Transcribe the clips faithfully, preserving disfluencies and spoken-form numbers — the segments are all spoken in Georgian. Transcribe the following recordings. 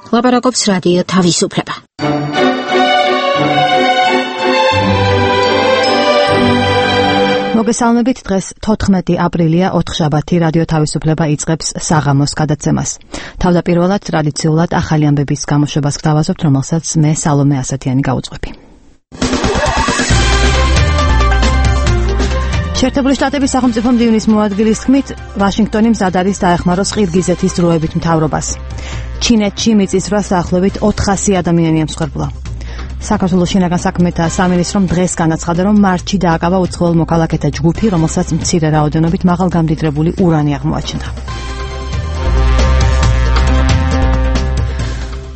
ლაპარაკობს რადიო თავისუფლება. მოგესალმებით, დღეს თოთხმეტი აპრილია, ოთხშაბათი, რადიო თავისუფლება იწყებს საღამოს გადაცემას. თავდაპირველად ტრადიციულად ახალი ამბების გამოშვებას გთავაზობთ, რომელსაც მე სალომე ასათიანი გავუძღვები. შეერთებული შტატების სახელმწიფო მდივნის მოადგილის თქმით, ვაშინგტონი მზად არის დაეხმაროს ყირგიზეთის დროებით მთავრობას. ჩინეთში მიწისძვრას დაახლოებით ოთხასი ადამიანი ემსხვერპლა. საქართველოს შინაგან საქმეთა სამინისტრომ დღეს განაცხადა, რომ მარტში დააკავა უცხოელ მოქალაქეთა ჯგუფი, რომელსაც მცირე რაოდენობით მაღალგამდიდრებული ურანი აღმოაჩნდა.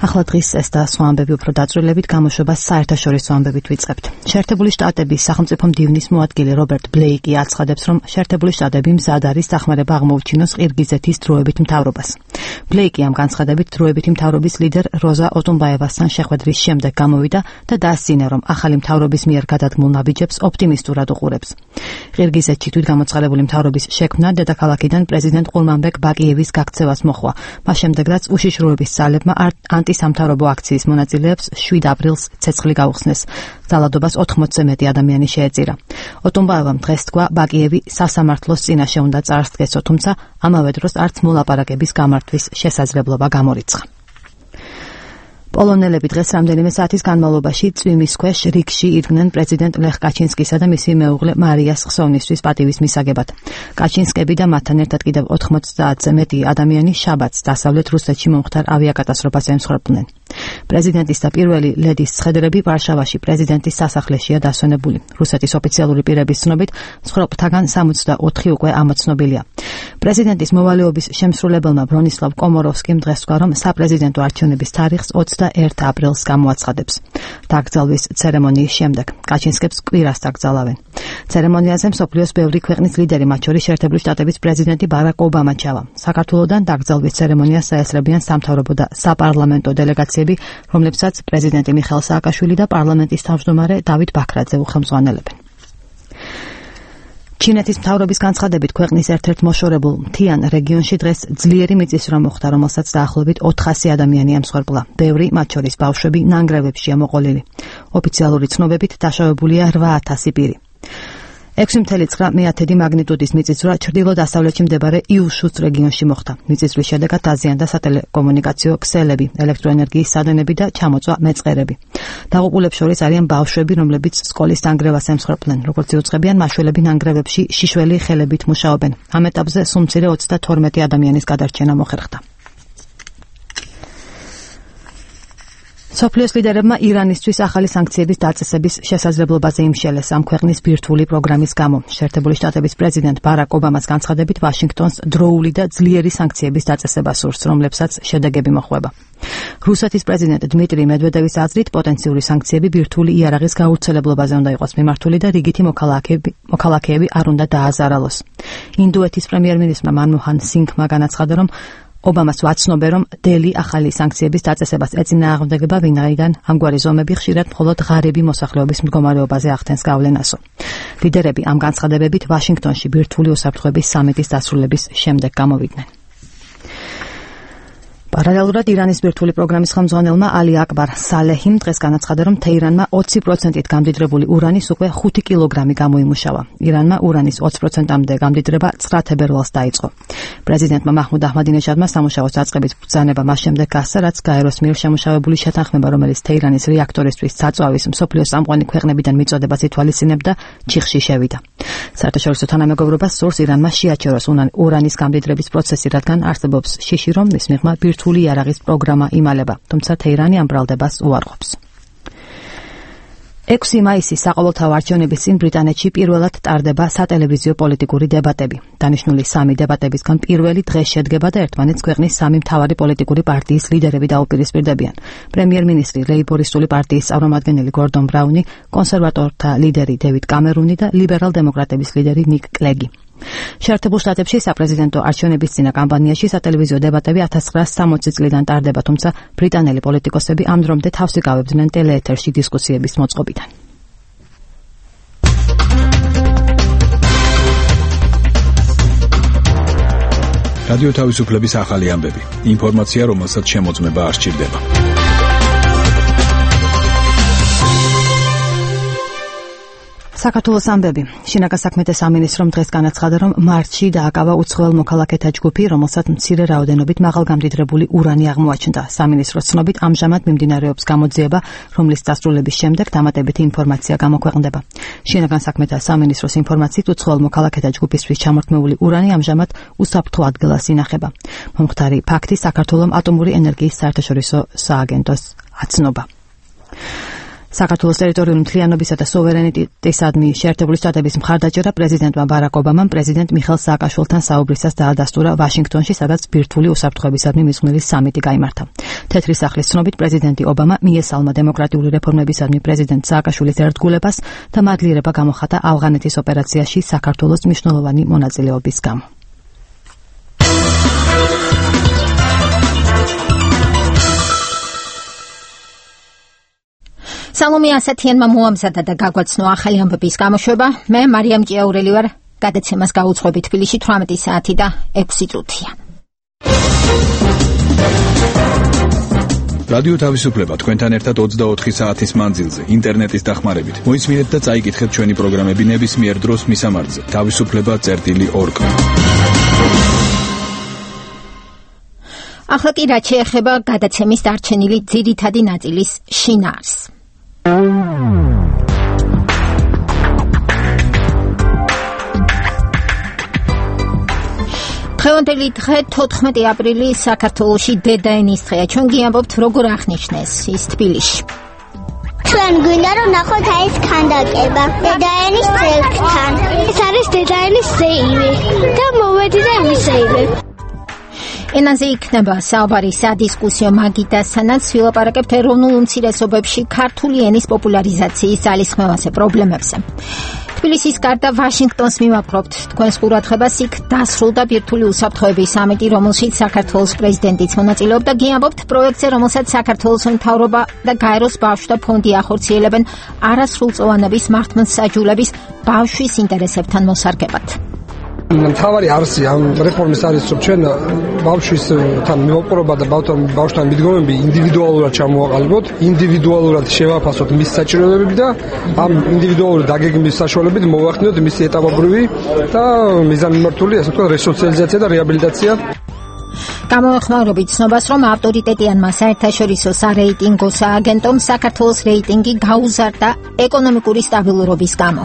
ახლა დღის ეს და სხვა ამბები უფრო დაწვრილებით გამოშვებას საერთაშორისო ამბებით ვიწყებთ. შეერთებული შტატების სახელმწიფო მდივნის მოადგილე რობერტ ბლეიკი აცხადებს, რომ შეერთებული შტატები მზად არის დახმარება აღმოუჩინოს ყირგიზეთის დროებით მთავრობას. ბლეიკი ამ განცხადებით დროებითი მთავრობის ლიდერ როზა ოტუნბაევასთან შეხვედრის შემდეგ გამოვიდა და დასძინა, რომ ახალი მთავრობის მიერ გადადგმულ ნაბიჯებს ოპტიმისტურად უყურებს. ყირგიზეთში თვითგამოცხადებული მთავრობის შექმნა დედაქალაქიდან პრეზიდენტ ყურმანბეკ ბაკიევის გაქცევას მოჰყვა. მას შემდეგ, რაც უშიშროების ძალებმა ანტისამთავრობო აქციის მონაწილეებს შვიდ აპრილს ცეცხლი გაუხსნეს. ძალადობას ოთხმოცზე მეტი ადამიანი შეეწირა. ოტუნბაევამ დღეს თქვა, ბაკიევი სასამართლოს წინაშე უნდა წარსდგესო, თუმცა ამავე დროს არც მოლაპარაკების გამართვის შესაძლებლობა გამორიცხა. პოლონელები დღეს რამდენიმე საათის განმავლობაში წვიმის ქვეშ რიგში იდგნენ პრეზიდენტ ლეხ კაჩინსკისა და მისი მეუღლე მარიას ხსოვნისთვის პატივის მისაგებად. კაჩინსკები და მათთან ერთად კიდევ ოთხმოცდაათზე მეტი ადამიანი შაბათს დასავლეთ რუსეთში მომხდარ ავიაკატასტროფას ემსხვერპლნენ. პრეზიდენტის და პირველი ლედის ცხედრები ვარშავაში პრეზიდენტის სასახლეშია დასვენებული. რუსეთის ოფიციალური პირების ცნობით, მსხვერპლთაგან სამოცდაოთხი უკვე ამოცნობილია. პრეზიდენტის მოვალეობის შემსრულებელმა ბრონისლავ კომოროვსკიმ დღეს თქვა, რომ საპრეზიდენტო არჩევნების თარიღს ოცდაერთი აპრილს გამოაცხადებს. დაკრძალვის ცერემონიის შემდეგ კაჩინსკებს კვირას დაკრძალავენ. ცერემონიაზე მსოფლიოს ბევრი ქვეყნის ლიდერი, მათ შორის შეერთებული შტატების პრეზიდენტი ბარაკ ობამა ჩავა. საქართველოდან დაკრძალვის ცერემონიას საესწრებიან სამთავრობო და საპარლამენტო დელეგაციები, რომლებსაც პრეზიდენტი მიხეილ სააკაშვილი და პარლამენტის თავმჯდომარე დავით ბაქრაძე უხელმძღვანელებენ. ჩინეთის მთავრობის განცხადებით, ქვეყნის ერთ-ერთ მოშორებულ მთიან რეგიონში დღეს ძლიერი მიწისძვრა მოხდა, რომელსაც დაახლოებით ოთხასი ადამიანი ემსხვერპლა. ბევრი, მათ შორის ბავშვები, ნანგრევებშია მოყოლილი. ოფიციალური ცნობებით დაშავებულია რვა ათასი პირი. ექვსი წუთი ცხრა მაგნიტუდის მიწისძვრა ჩრდილო-დასავლეთში მდებარე იუშუს რეგიონში მოხდა. მიწისძვრის შედეგად დაზიანდა სატელეკომუნიკაციო ქსელები, ელექტროენერგიის სადენები და ჩამოწვა მეწყერები. დაღუპულებს შორის არიან ბავშვები, რომლებიც სკოლის ნანგრევას ემსხვერპლენ. როგორც იუწყებიან, მაშველები ნანგრევებში შიშველი ხელებით მუშაობენ. ამ ეტაპზე სულ მცირე ოცდათორმეტი ადამიანის გადარჩენა მოხერხდა. სოფლიოს ლიდერებმა ირანისთვის ახალი სანქციების დაწესების შესაძლებლობაზე იმშელეს ამ ქვეყნის ბირთვული პროგრამის გამო. შეერთებული შტატების პრეზიდენტ ბარაკ ობამას განცხადებით, ვაშინგტონს დროული და ძლიერი სანქციების დაწესება სურს, რომლებსაც შედეგები მოჰყვება. რუსეთის პრეზიდენტ დმიტრი მედვედევის აზრით, პოტენციური სანქციები ბირთვული იარაღის გავრცელებლობაზე უნდა იყოს მიმართული და რიგითი მოქალაქეები, მოქალაქეები არ უნდა დააზარალოს. ინდოეთის პრემიერ-მინისტრმა მანმოჰან სინგმა განაცხადა, რომ ობამას ვაცნობე, რომ დელი ახალი სანქციების დაწესებას ეწინააღმდეგება, ვინაიდან ამგვარი ზომები ხშირად მხოლოდ ღარიბი მოსახლეობის მდგომარეობაზე ახდენს გავლენასო. ლიდერები ამ განცხადებებით ვაშინგტონში ბირთვული უსაფრთხოების სამიტის დასრულების შემდეგ გამოვიდნენ. პარალელურად ირანის ბირთვული პროგრამის ხელმძღვანელმა ალი აკბარ სალეჰიმ დღეს განაცხადა, რომ თეირანმა ოცი პროცენტით გამდიდრებული ურანის უკვე ხუთი კილოგრამი გამოიმუშავა. ირანმა ურანის ოცი პროცენტამდე გამდიდრება ცხრა თებერვალს დაიწყო. პრეზიდენტმა მაჰმუდ აჰმადინეჟადმა სამუშაოს დაწყების ბრძანება მას შემდეგ გასცა, რაც გაეროს მიერ შემუშავებული შეთანხმება, რომელიც თეირანის რეაქტორისთვის საწვავის მსოფლიოს წამყვანი ქვეყნებიდან მიწოდებას ითვალისწინებდა, ჩიხში შევიდა. საერთაშორისო თანამეგობრობას სურს ირანმა შეაჩეროს ურანის გამდიდრების პროცესი, რადგან არსებობს შიში, რომ მის მიღმა ბირთვული იარაღის პროგრამა იმალება, თუმცა თეირანი ამ ბრალდებას უარყოფს. ექვსი მაისის საყოველთაო არჩევნების წინ ბრიტანეთში პირველად ტარდება სატელევიზიო პოლიტიკური დებატები. დანიშნული სამი დებატებისგან პირველი დღეს შედგება და ერთმანეთს ქვეყნის სამი მთავარი პოლიტიკური პარტიის ლიდერები დაუპირისპირდებიან. პრემიერ-მინისტრი ლეიბორისტული პარტიის წარმომადგენელი გორდონ ბრაუნი, კონსერვატორთა ლიდერი დევიდ კამერუნი და ლიბერალ-დემოკრატების ლიდერი ნიკ კლეგი. შეერთებულ შტატებში საპრეზიდენტო არჩევნების წინა კამპანიაში სატელევიზიო დებატები ათას ცხრაასი სამოცი წლიდან ტარდება, თუმცა ბრიტანელი პოლიტიკოსები ამ დრომდე თავს იკავებდნენ ტელეეთერში დისკუსიების მოწყობიდან. რადიო თავისუფლების ახალი ამბები. ინფორმაცია, რომელსაც შემოწმება არ სჭირდება. საქართველოს ამბები. შინაგან საქმეთა სამინისტრომ დღეს განაცხადა, რომ მარტში დააკავა უცხოელ მოქალაქეთა ჯგუფი, რომელსაც მცირე რაოდენობით მაღალგამდიდრებული ურანი აღმოაჩნდა. სამინისტროს ცნობით, ამჟამად მიმდინარეობს გამოძიება, რომლის დასრულების შემდეგ დამატებითი ინფორმაცია გამოქვეყნდება. შინაგან საქმეთა სამინისტროს ინფორმაციით, უცხოელ მოქალაქეთა ჯგუფისთვის ჩამორთმეული ურანი ამჟამად უსაფრთხო ადგილას ინახება. მომხდარი ფაქტი საქართველოს ატომური ენერგიის საერთაშორისო სააგენტოს აცნობა. საქართველოს ტერიტორიული მთლიანობისა და სუვერენიტეტისადმი შეერთებული შტატების მხარდაჭერა პრეზიდენტმა ბარაკ ობამამ პრეზიდენტ მიხეილ სააკაშვილთან საუბრისას დაადასტურა ვაშინგტონში, სადაც ბირთვული უსაფრთხოებისადმი მიზნული სამიტი გაიმართა. თეთრი სახლის ცნობით, პრეზიდენტი ობამა მიესალმა დემოკრატიული რეფორმებისადმი პრეზიდენტ სააკაშვილის ერთგულებას და მადლიერება გამოხატა ავღანეთის ოპერაციაში საქართველოს მნიშვნელოვანი მონაწილეობის გამო. სალომე ასათიანმა მოამზადა და გაგვაცნო ახალი ამბების გამოშვება. მე მარიამ ჭიაურელი ვარ. გადაცემას გაუძღვები თბილისში თვრამეტი საათი და ექვსი წუთია. რადიო თავისუფლება თქვენთან ერთად ოცდაოთხი საათის მანძილზე ინტერნეტის დახმარებით. მოისმინეთ და წაიკითხეთ ჩვენი პროგრამები ნებისმიერ დროს მისამართზე თავისუფლება წერტილი ორგ. ახლა კი რაც შეეხება გადაცემის დარჩენილი ძირითადი ნაწილის შინაარს. დღევანდელი დღე თოთხმეტი აპრილი საქართველოში დედაენის დღეა. ჩვენ გიამბობთ როგორ აღნიშნეს ის თბილისში. ჩვენ გვინდა რომ ნახოთ ეს ქანდაკება დედაენის ძეგლთან. ეს არის დედაენის ზეიმი და მოვედი და ვისეირებ. ენაზე იქნება საუბარი სადისკუსიო მაგიდასთანაც ვილაპარაკებთ ეროვნულ უმცირესობებში ქართული ენის პოპულარიზაციის ძალისხმევაზე პრობლემებზე. თბილისის გარდა ვაშინგტონს მივაპყრობთ თქვენს ყურადღებას. იქ დასრულდა ბირთვული უსაფრთხოების სამიტი, რომელშიც საქართველოს პრეზიდენტიც მონაწილეობდა. გიამბობთ პროექტზე, რომელსაც საქართველოს მთავრობა და გაეროს ბავშვთა ფონდი ახორციელებენ არასრულწლოვანების მართლმსაჯულების ბავშვის ინტერესებთან მოსარგებად. მთავარი არსი ამ რეფორმის არის, რომ ჩვენ ბავშვისთან მივაპყრობა და ბავშვთან მიდგომები ინდივიდუალურად ჩამოვაყალიბოთ, ინდივიდუალურად შევაფასოთ მის საჭიროებები და ამ ინდივიდუალური დაგეგმვის საშუალებით მოვახდინოთ მისი ეტაპობრივი და მიზანმიმართული, ასე ვთქვათ, რესოციალიზაცია და რეაბილიტაცია. გამოეხმაურებით ცნობას, რომ ავტორიტეტიანმა საერთაშორისო სარეიტინგო სააგენტომ საქართველოს რეიტინგი გაუზარდა ეკონომიკური სტაბილურობის გამო.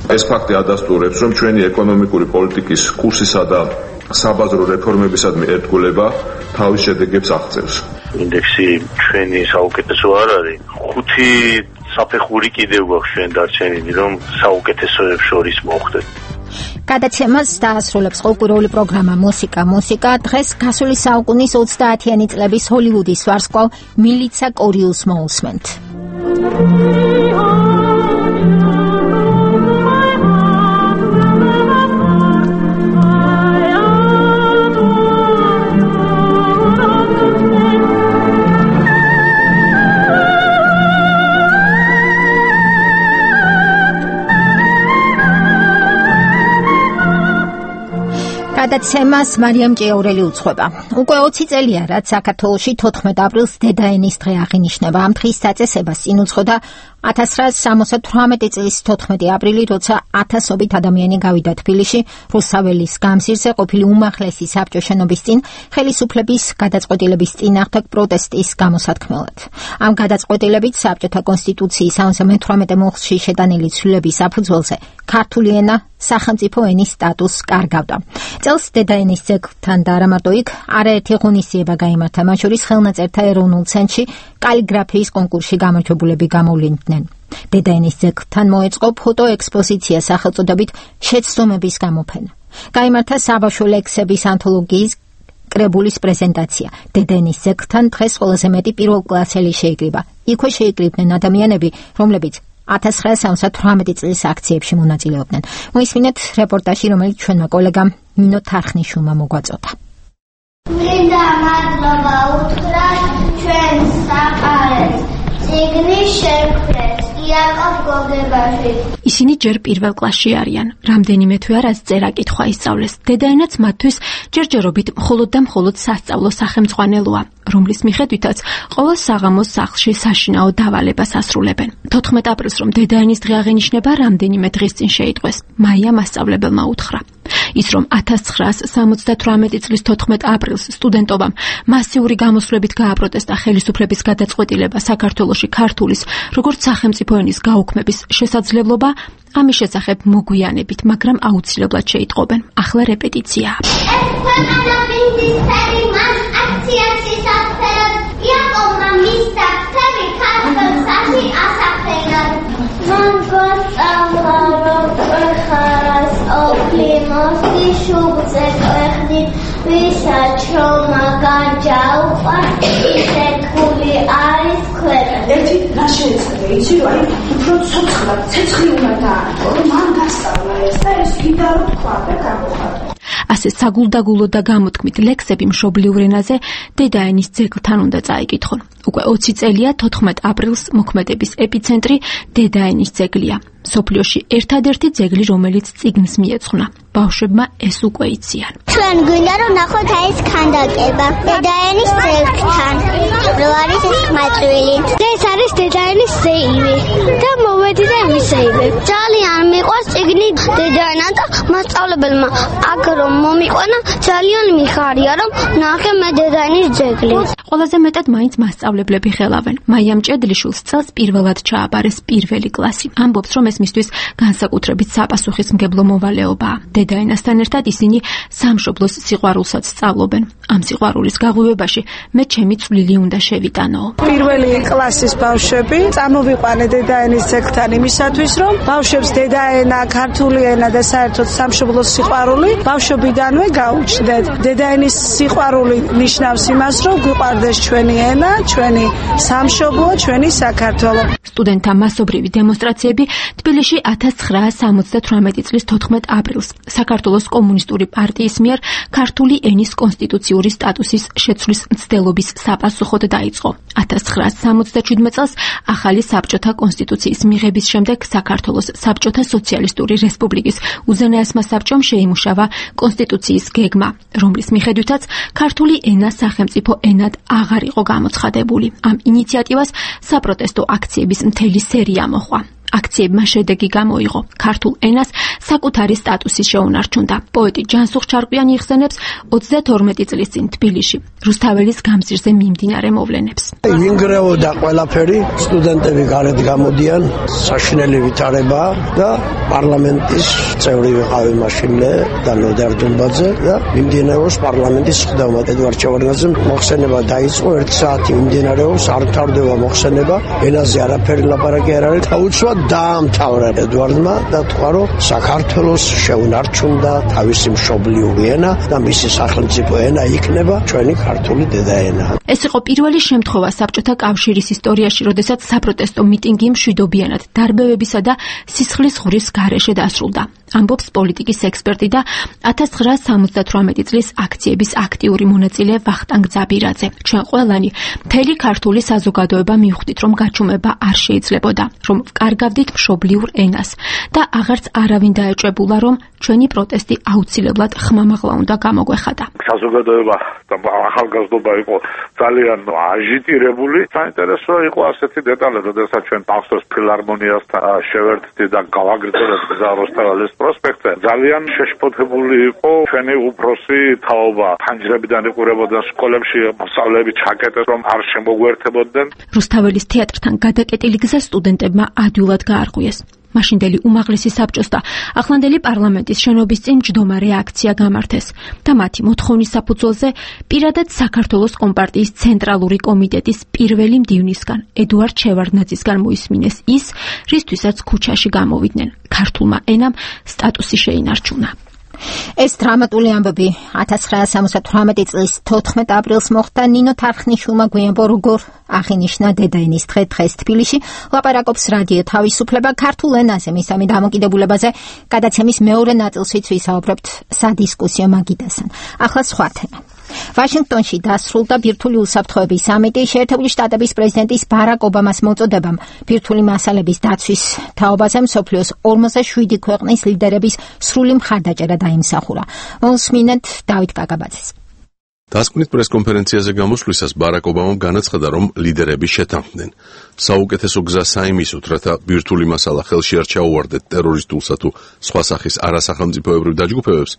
ეს ფაქტი ადასტურებს, რომ ჩვენი ეკონომიკური პოლიტიკის კურსისა და საბაზრო რეფორმებისადმი ერთგულება თავის შედეგებს აღწევს. ინდექსი ჩვენი საუკეთესო არ არის. ხუთი საფეხური კიდევ გვაქვს ჩვენ დარჩენილი, რომ საუკეთესოებს შორის მოხვდეთ. გადაცემას დაასრულებს ყოველკვირეული პროგრამა მუსიკა მუსიკა. დღეს გასული საუკუნის ოცდაათიანი წლების ჰოლივუდის ვარსკვლავ მილიცა კორიუს მოусმენთ. გადაცემას მარიამ ჭიაურელი უძღვება. უკვე ოცი წელია, რაც საქართველოში თოთხმეტ აპრილს დედაენის დღე აღინიშნება. ამ დღის დაწესებას წინ უძღოდა ათას რვაასი სამოცდათვრამეტი წლის თოთხმეტი აპრილი, როცა ათასობით ადამიანი გავიდა თბილისში რუსაველის გამზირზე ყოფილი უმაღლესი საბჭო შენობის წინ ხელისუფლების გადაწყვეტილების წინააღმდეგ პროტესტის გამოსათქმელად. ამ გადაწყვეტილებით საბჭოთა კონსტიტუციის სამოცდამეთვრამეტე მუხლში შეტანილი ცვლილების საფუძველზე ქართული ენა სახელმწიფო ენის სტატუსს კარგავდა. წელს დედაენის ძეგლთან და არა მარტო იქ არაერთი ღონისძიება გაიმართა, მათ შორის ხელნაწერთა ეროვნულ ცენტრში კალიგრაფიის კონკურსში გამარჯვებულები გამოვლინდნენ. დედაენის ძეგლთან მოეწყო ფოტო ექსპოზიცია სახელწოდებით შეცდომების გამოფენა. გაიმართა საბავშვო ლექსების ანთოლოგიის კრებულის პრეზენტაცია. დედაენის ძეგლთან დღეს ყველაზე მეტი პირველკლასელი შეიკრიბა. იქვე შეიკრიბნენ ადამიანები, რომლებიც ათას რვაასი სამოცდათვრამეტი წლის აქციებში მონაწილეობდნენ. მოისმინეთ რეპორტაჟი, რომელიც ჩვენმა კოლეგამ ნინო თარხნიშვილმა მოგვაწოდა. მინდა მადლობა უთხრათ ჩვენ საყარეს წიგნის შექმნას იაკობ გოგებაში. ისინი ჯერ პირველ კლასში არიან. რამდენიმე თვე არას წერა-კითხვა ისწავლეს. დედაენაც მათთვის ჯერჯერობით მხოლოდ და მხოლოდ სასწავლო სახელმძღვანელოა, რომლის მიხედვითაც ყოველ საღამოს სახლში საშინაო დავალებას ასრულებენ. თოთხმეტ აპრილს რომ დედაენის დღე აღენიშნება, რამდენიმე დღის წინ შეიტყვეს. მაია მასწავლებელმა უთხრა. ის რომ ათას ცხრაასი სამოცდათვრამეტი წლის თოთხმეტ აპრილს სტუდენტობამ მასიური გამოსვლებით გააპროტესტა ხელისუფლების გადაწყვეტილება საქართველოში ქართულის როგორც სახელმწიფო ენის გაუქმების შესაძლებლობა, ამის შესახებ მოგვიანებით, მაგრამ აუცილებლად შეიტყობენ. ახლა რეპეტიციაა. Mosty szubce kwechni, wyszaczą magandzia upadł i te kuli aris kwera. Leci nasze celi, ale pro co trzeba, co trzeba tak, mam nastała, jest jest gitaru kładę, kabuchata. ასე საგულდაგულო და გამოთქმით ლექსები მშობლიურ ენაზე დედაენის ძეგლთან უნდა წაიკითხონ. უკვე ოცი წელია თოთხმეტ აპრილს მოქმედების ეპიცენტრი დედაენის ძეგლია. სოფლიოში ერთადერთი ძეგლი, რომელიც წიგნს მიეძღვნა. ბავშვებმა ეს უკვე იციან. ჩვენ გვინდა რომ ნახოთ ეს ქანდაკება დედაენის ძეგლთან. რო არის ეს ხმაწვილი. ეს არის დედაენის ზეიმი და მოვედი და ვისეირებ. ძალიან მიყვარს წიგნი დედაენა და მასწავლებელმა აქ რომ მომიყვანა ძალიან მიხარია რომ ნახე მე დედაენის ძეგლი. ყველაზე მეტად მაინც მასწავლებლები ხელავენ. მაიამ ჭედლიშვილს წელს პირველად ჩააბარეს პირველი კლასი. ამბობს რომ ეს მისთვის განსაკუთრებით საპასუხისმგებლო მოვალეობაა. დედაენასთან ერთად ისინი სამშობლოს სიყვარულსაც სწავლობენ. ამ სიყვარულის გაღვივებაში მე ჩემი წვლილი უნდა შევიტანო. პირველი კლასის ბავშვები წამოვიყვანე დედაენის ძეგლთან იმისათვის რომ ბავშვებს დედაენა, ქართული ენა და საერთოდ სამშობლოს სიყვარული ბავშვობიდანვე გაუჩნდეთ. დედაენის სიყვარული ნიშნავს იმას რომ გვიყვარდეს ჩვენი ენა, ჩვენი სამშობლო, ჩვენი საქართველო. სტუდენტთა მასობრივი დემონსტრაციები თბილისში ათას ცხრაასი სამოცდათვრამეტი წლის თოთხმეტ აპრილს საქართველოს კომუნისტური პარტიის მიერ ქართული ენის კონსტიტუციური სტატუსის შეცვლის მცდელობის საპასუხოდ დაიწყო. ათას ცხრაასი სამოცდაშვიდმეტ წელს ახალი საბჭოთა კონსტიტუციის მიღების შემდეგ საქართველოს საბჭოთა სოციალისტური რესპუბლიკის უზენაესმა საბჭომ შეიმუშავა კონსტიტუციის გეგმა, რომლის მიხედვითაც ქართული ენა სახელმწიფო ენად აღარ იყო გამოცხადებული. ამ ინიციატივას საპროტესტო აქციების მთელი სერია მოჰყვა. აქციებმა შედეგი გამოიღო. ქართულ ენას საკუთარი სტატუსი შეუნარჩუნდა. პოეტი ჯანსუღ ჩარკვიანი იხსენებს ოცდათორმეტი წლის წინ თბილისში რუსთაველის გამზირზე მიმდინარე მოვლენებს. ინგრეოდა ყველაფერი, სტუდენტები გარეთ გამოდიან, საშინელი ვითარება და პარლამენტის წევრი ვიყავი მაშინლე და ნოდარ დუმბაძე და მიმდინარეობს პარლამენტის ხდომა. ედვარდ ჩევარდნაძემ მოხსენება დაიწყო, ერთი საათი მიმდინარეობს, არ მთავრდება მოხსენება, ენაზე არაფერი ლაპარაკი არ არის. დაუცვად დაამთავრა ედვარდმა და თქვა რომ საქართველოს შეუნარჩუნდა თავისი მშობლიური ენა და მისი სახელმწიფო ენა იქნება ჩვენი ქართული დედაენა. ეს იყო პირველი შემთხვევა საბჭოთა კავშირის ისტორიაში, როდესაც საპროტესტო მიტინგი მშვიდობიანად დარბევებისა და სისხლის ღურის გარეშე დასრულდა. ამბობს პოლიტიკის ექსპერტი და ათას ცხრაასი სამოცდათვრამეტი წლის აქციების აქტიური მონაწილე ვახტანგ ძაბირაძე. ჩვენ ყველანი მთელი ქართული საზოგადოება მივხვდით, რომ გაჩუმება არ შეიძლებოდა, რომ ვკარგავდით მშობლიურ ენას და აღარც არავინ დაეჭვებულა, რომ ჩვენი პროტესტი აუცილებლად ხმამაღლა უნდა გამოგვეხადა. საზოგადოება და ახალგაზრდობა იყო ძალიან აჟიტირებული. საინტერესო იყო ასეთი დეტალი, როდესაც ჩვენ ტახტოს ფილარმონიასთან შევერთდი და გავაგრძელებთ გზა როსტაველის პროსპექტზე. ძალიან შეშფოთებული იყო ჩვენი უფროსი თაობა. ფანჯრებიდან იყურებოდა სკოლებში მოსწავლეები ჩაკეტეს, რომ არ შემოგვერთებოდნენ. რუსთაველის თეატრთან გადაკეტილი გზა სტუდენტებმა ადვილად გაარღვიეს. მაშინდელი უმაღლესი საბჭოს და ახლანდელი პარლამენტის შენობის წინ მჯდომარე აქცია გამართეს და მათი მოთხოვნის საფუძველზე პირადად საქართველოს კომპარტიის ცენტრალური კომიტეტის პირველი მდივნისგან ედუარდ შევარდნაძისგან მოისმინეს ის, რისთვისაც ქუჩაში გამოვიდნენ. ქართულმა ენამ სტატუსი შეინარჩუნა. ეს დრამატული ამბები ათას ცხრაასი სამოცდათვრამეტი წლის თოთხმეტ აპრილს მოხდა. ნინო თარხნიშვილმა გვიამბო, როგორ აღინიშნა დედაენის დღე დღეს თბილისში. ლაპარაკობს რადიო თავისუფლება ქართულ ენაზე, მისამე დამოკიდებულებაზე. გადაცემის მეორე ნაწილშიც ვისაუბრებთ სადისკუსიო მაგიდასთან. ახლა სხვა თემა. ვაშინგტონში დასრულდა ბირთვული უსაფრთხოების სამიტი შეერთებული შტატების პრეზიდენტის ბარაკ ობამას მოწოდებამ ბირთვული მასალების დაცვის თაობაზე მსოფლიოს ორმოცდაშვიდი ქვეყნის ლიდერების სრული მხარდაჭერა დაიმსახურა. მოსმინეთ დავით კაკაბაძეს. დასკვნით პრესკონფერენციაზე გამოსვლისას ბარაკ ობამამ განაცხადა, რომ ლიდერები შეთანხმდნენ. საუკეთესო გზა საიმისოდ, რათა ბირთვული მასალა ხელში არ ჩაუვარდეთ ტერორისტულსა თუ სხვა სახის არასახელმწიფოებრივ დაჯგუფებებს,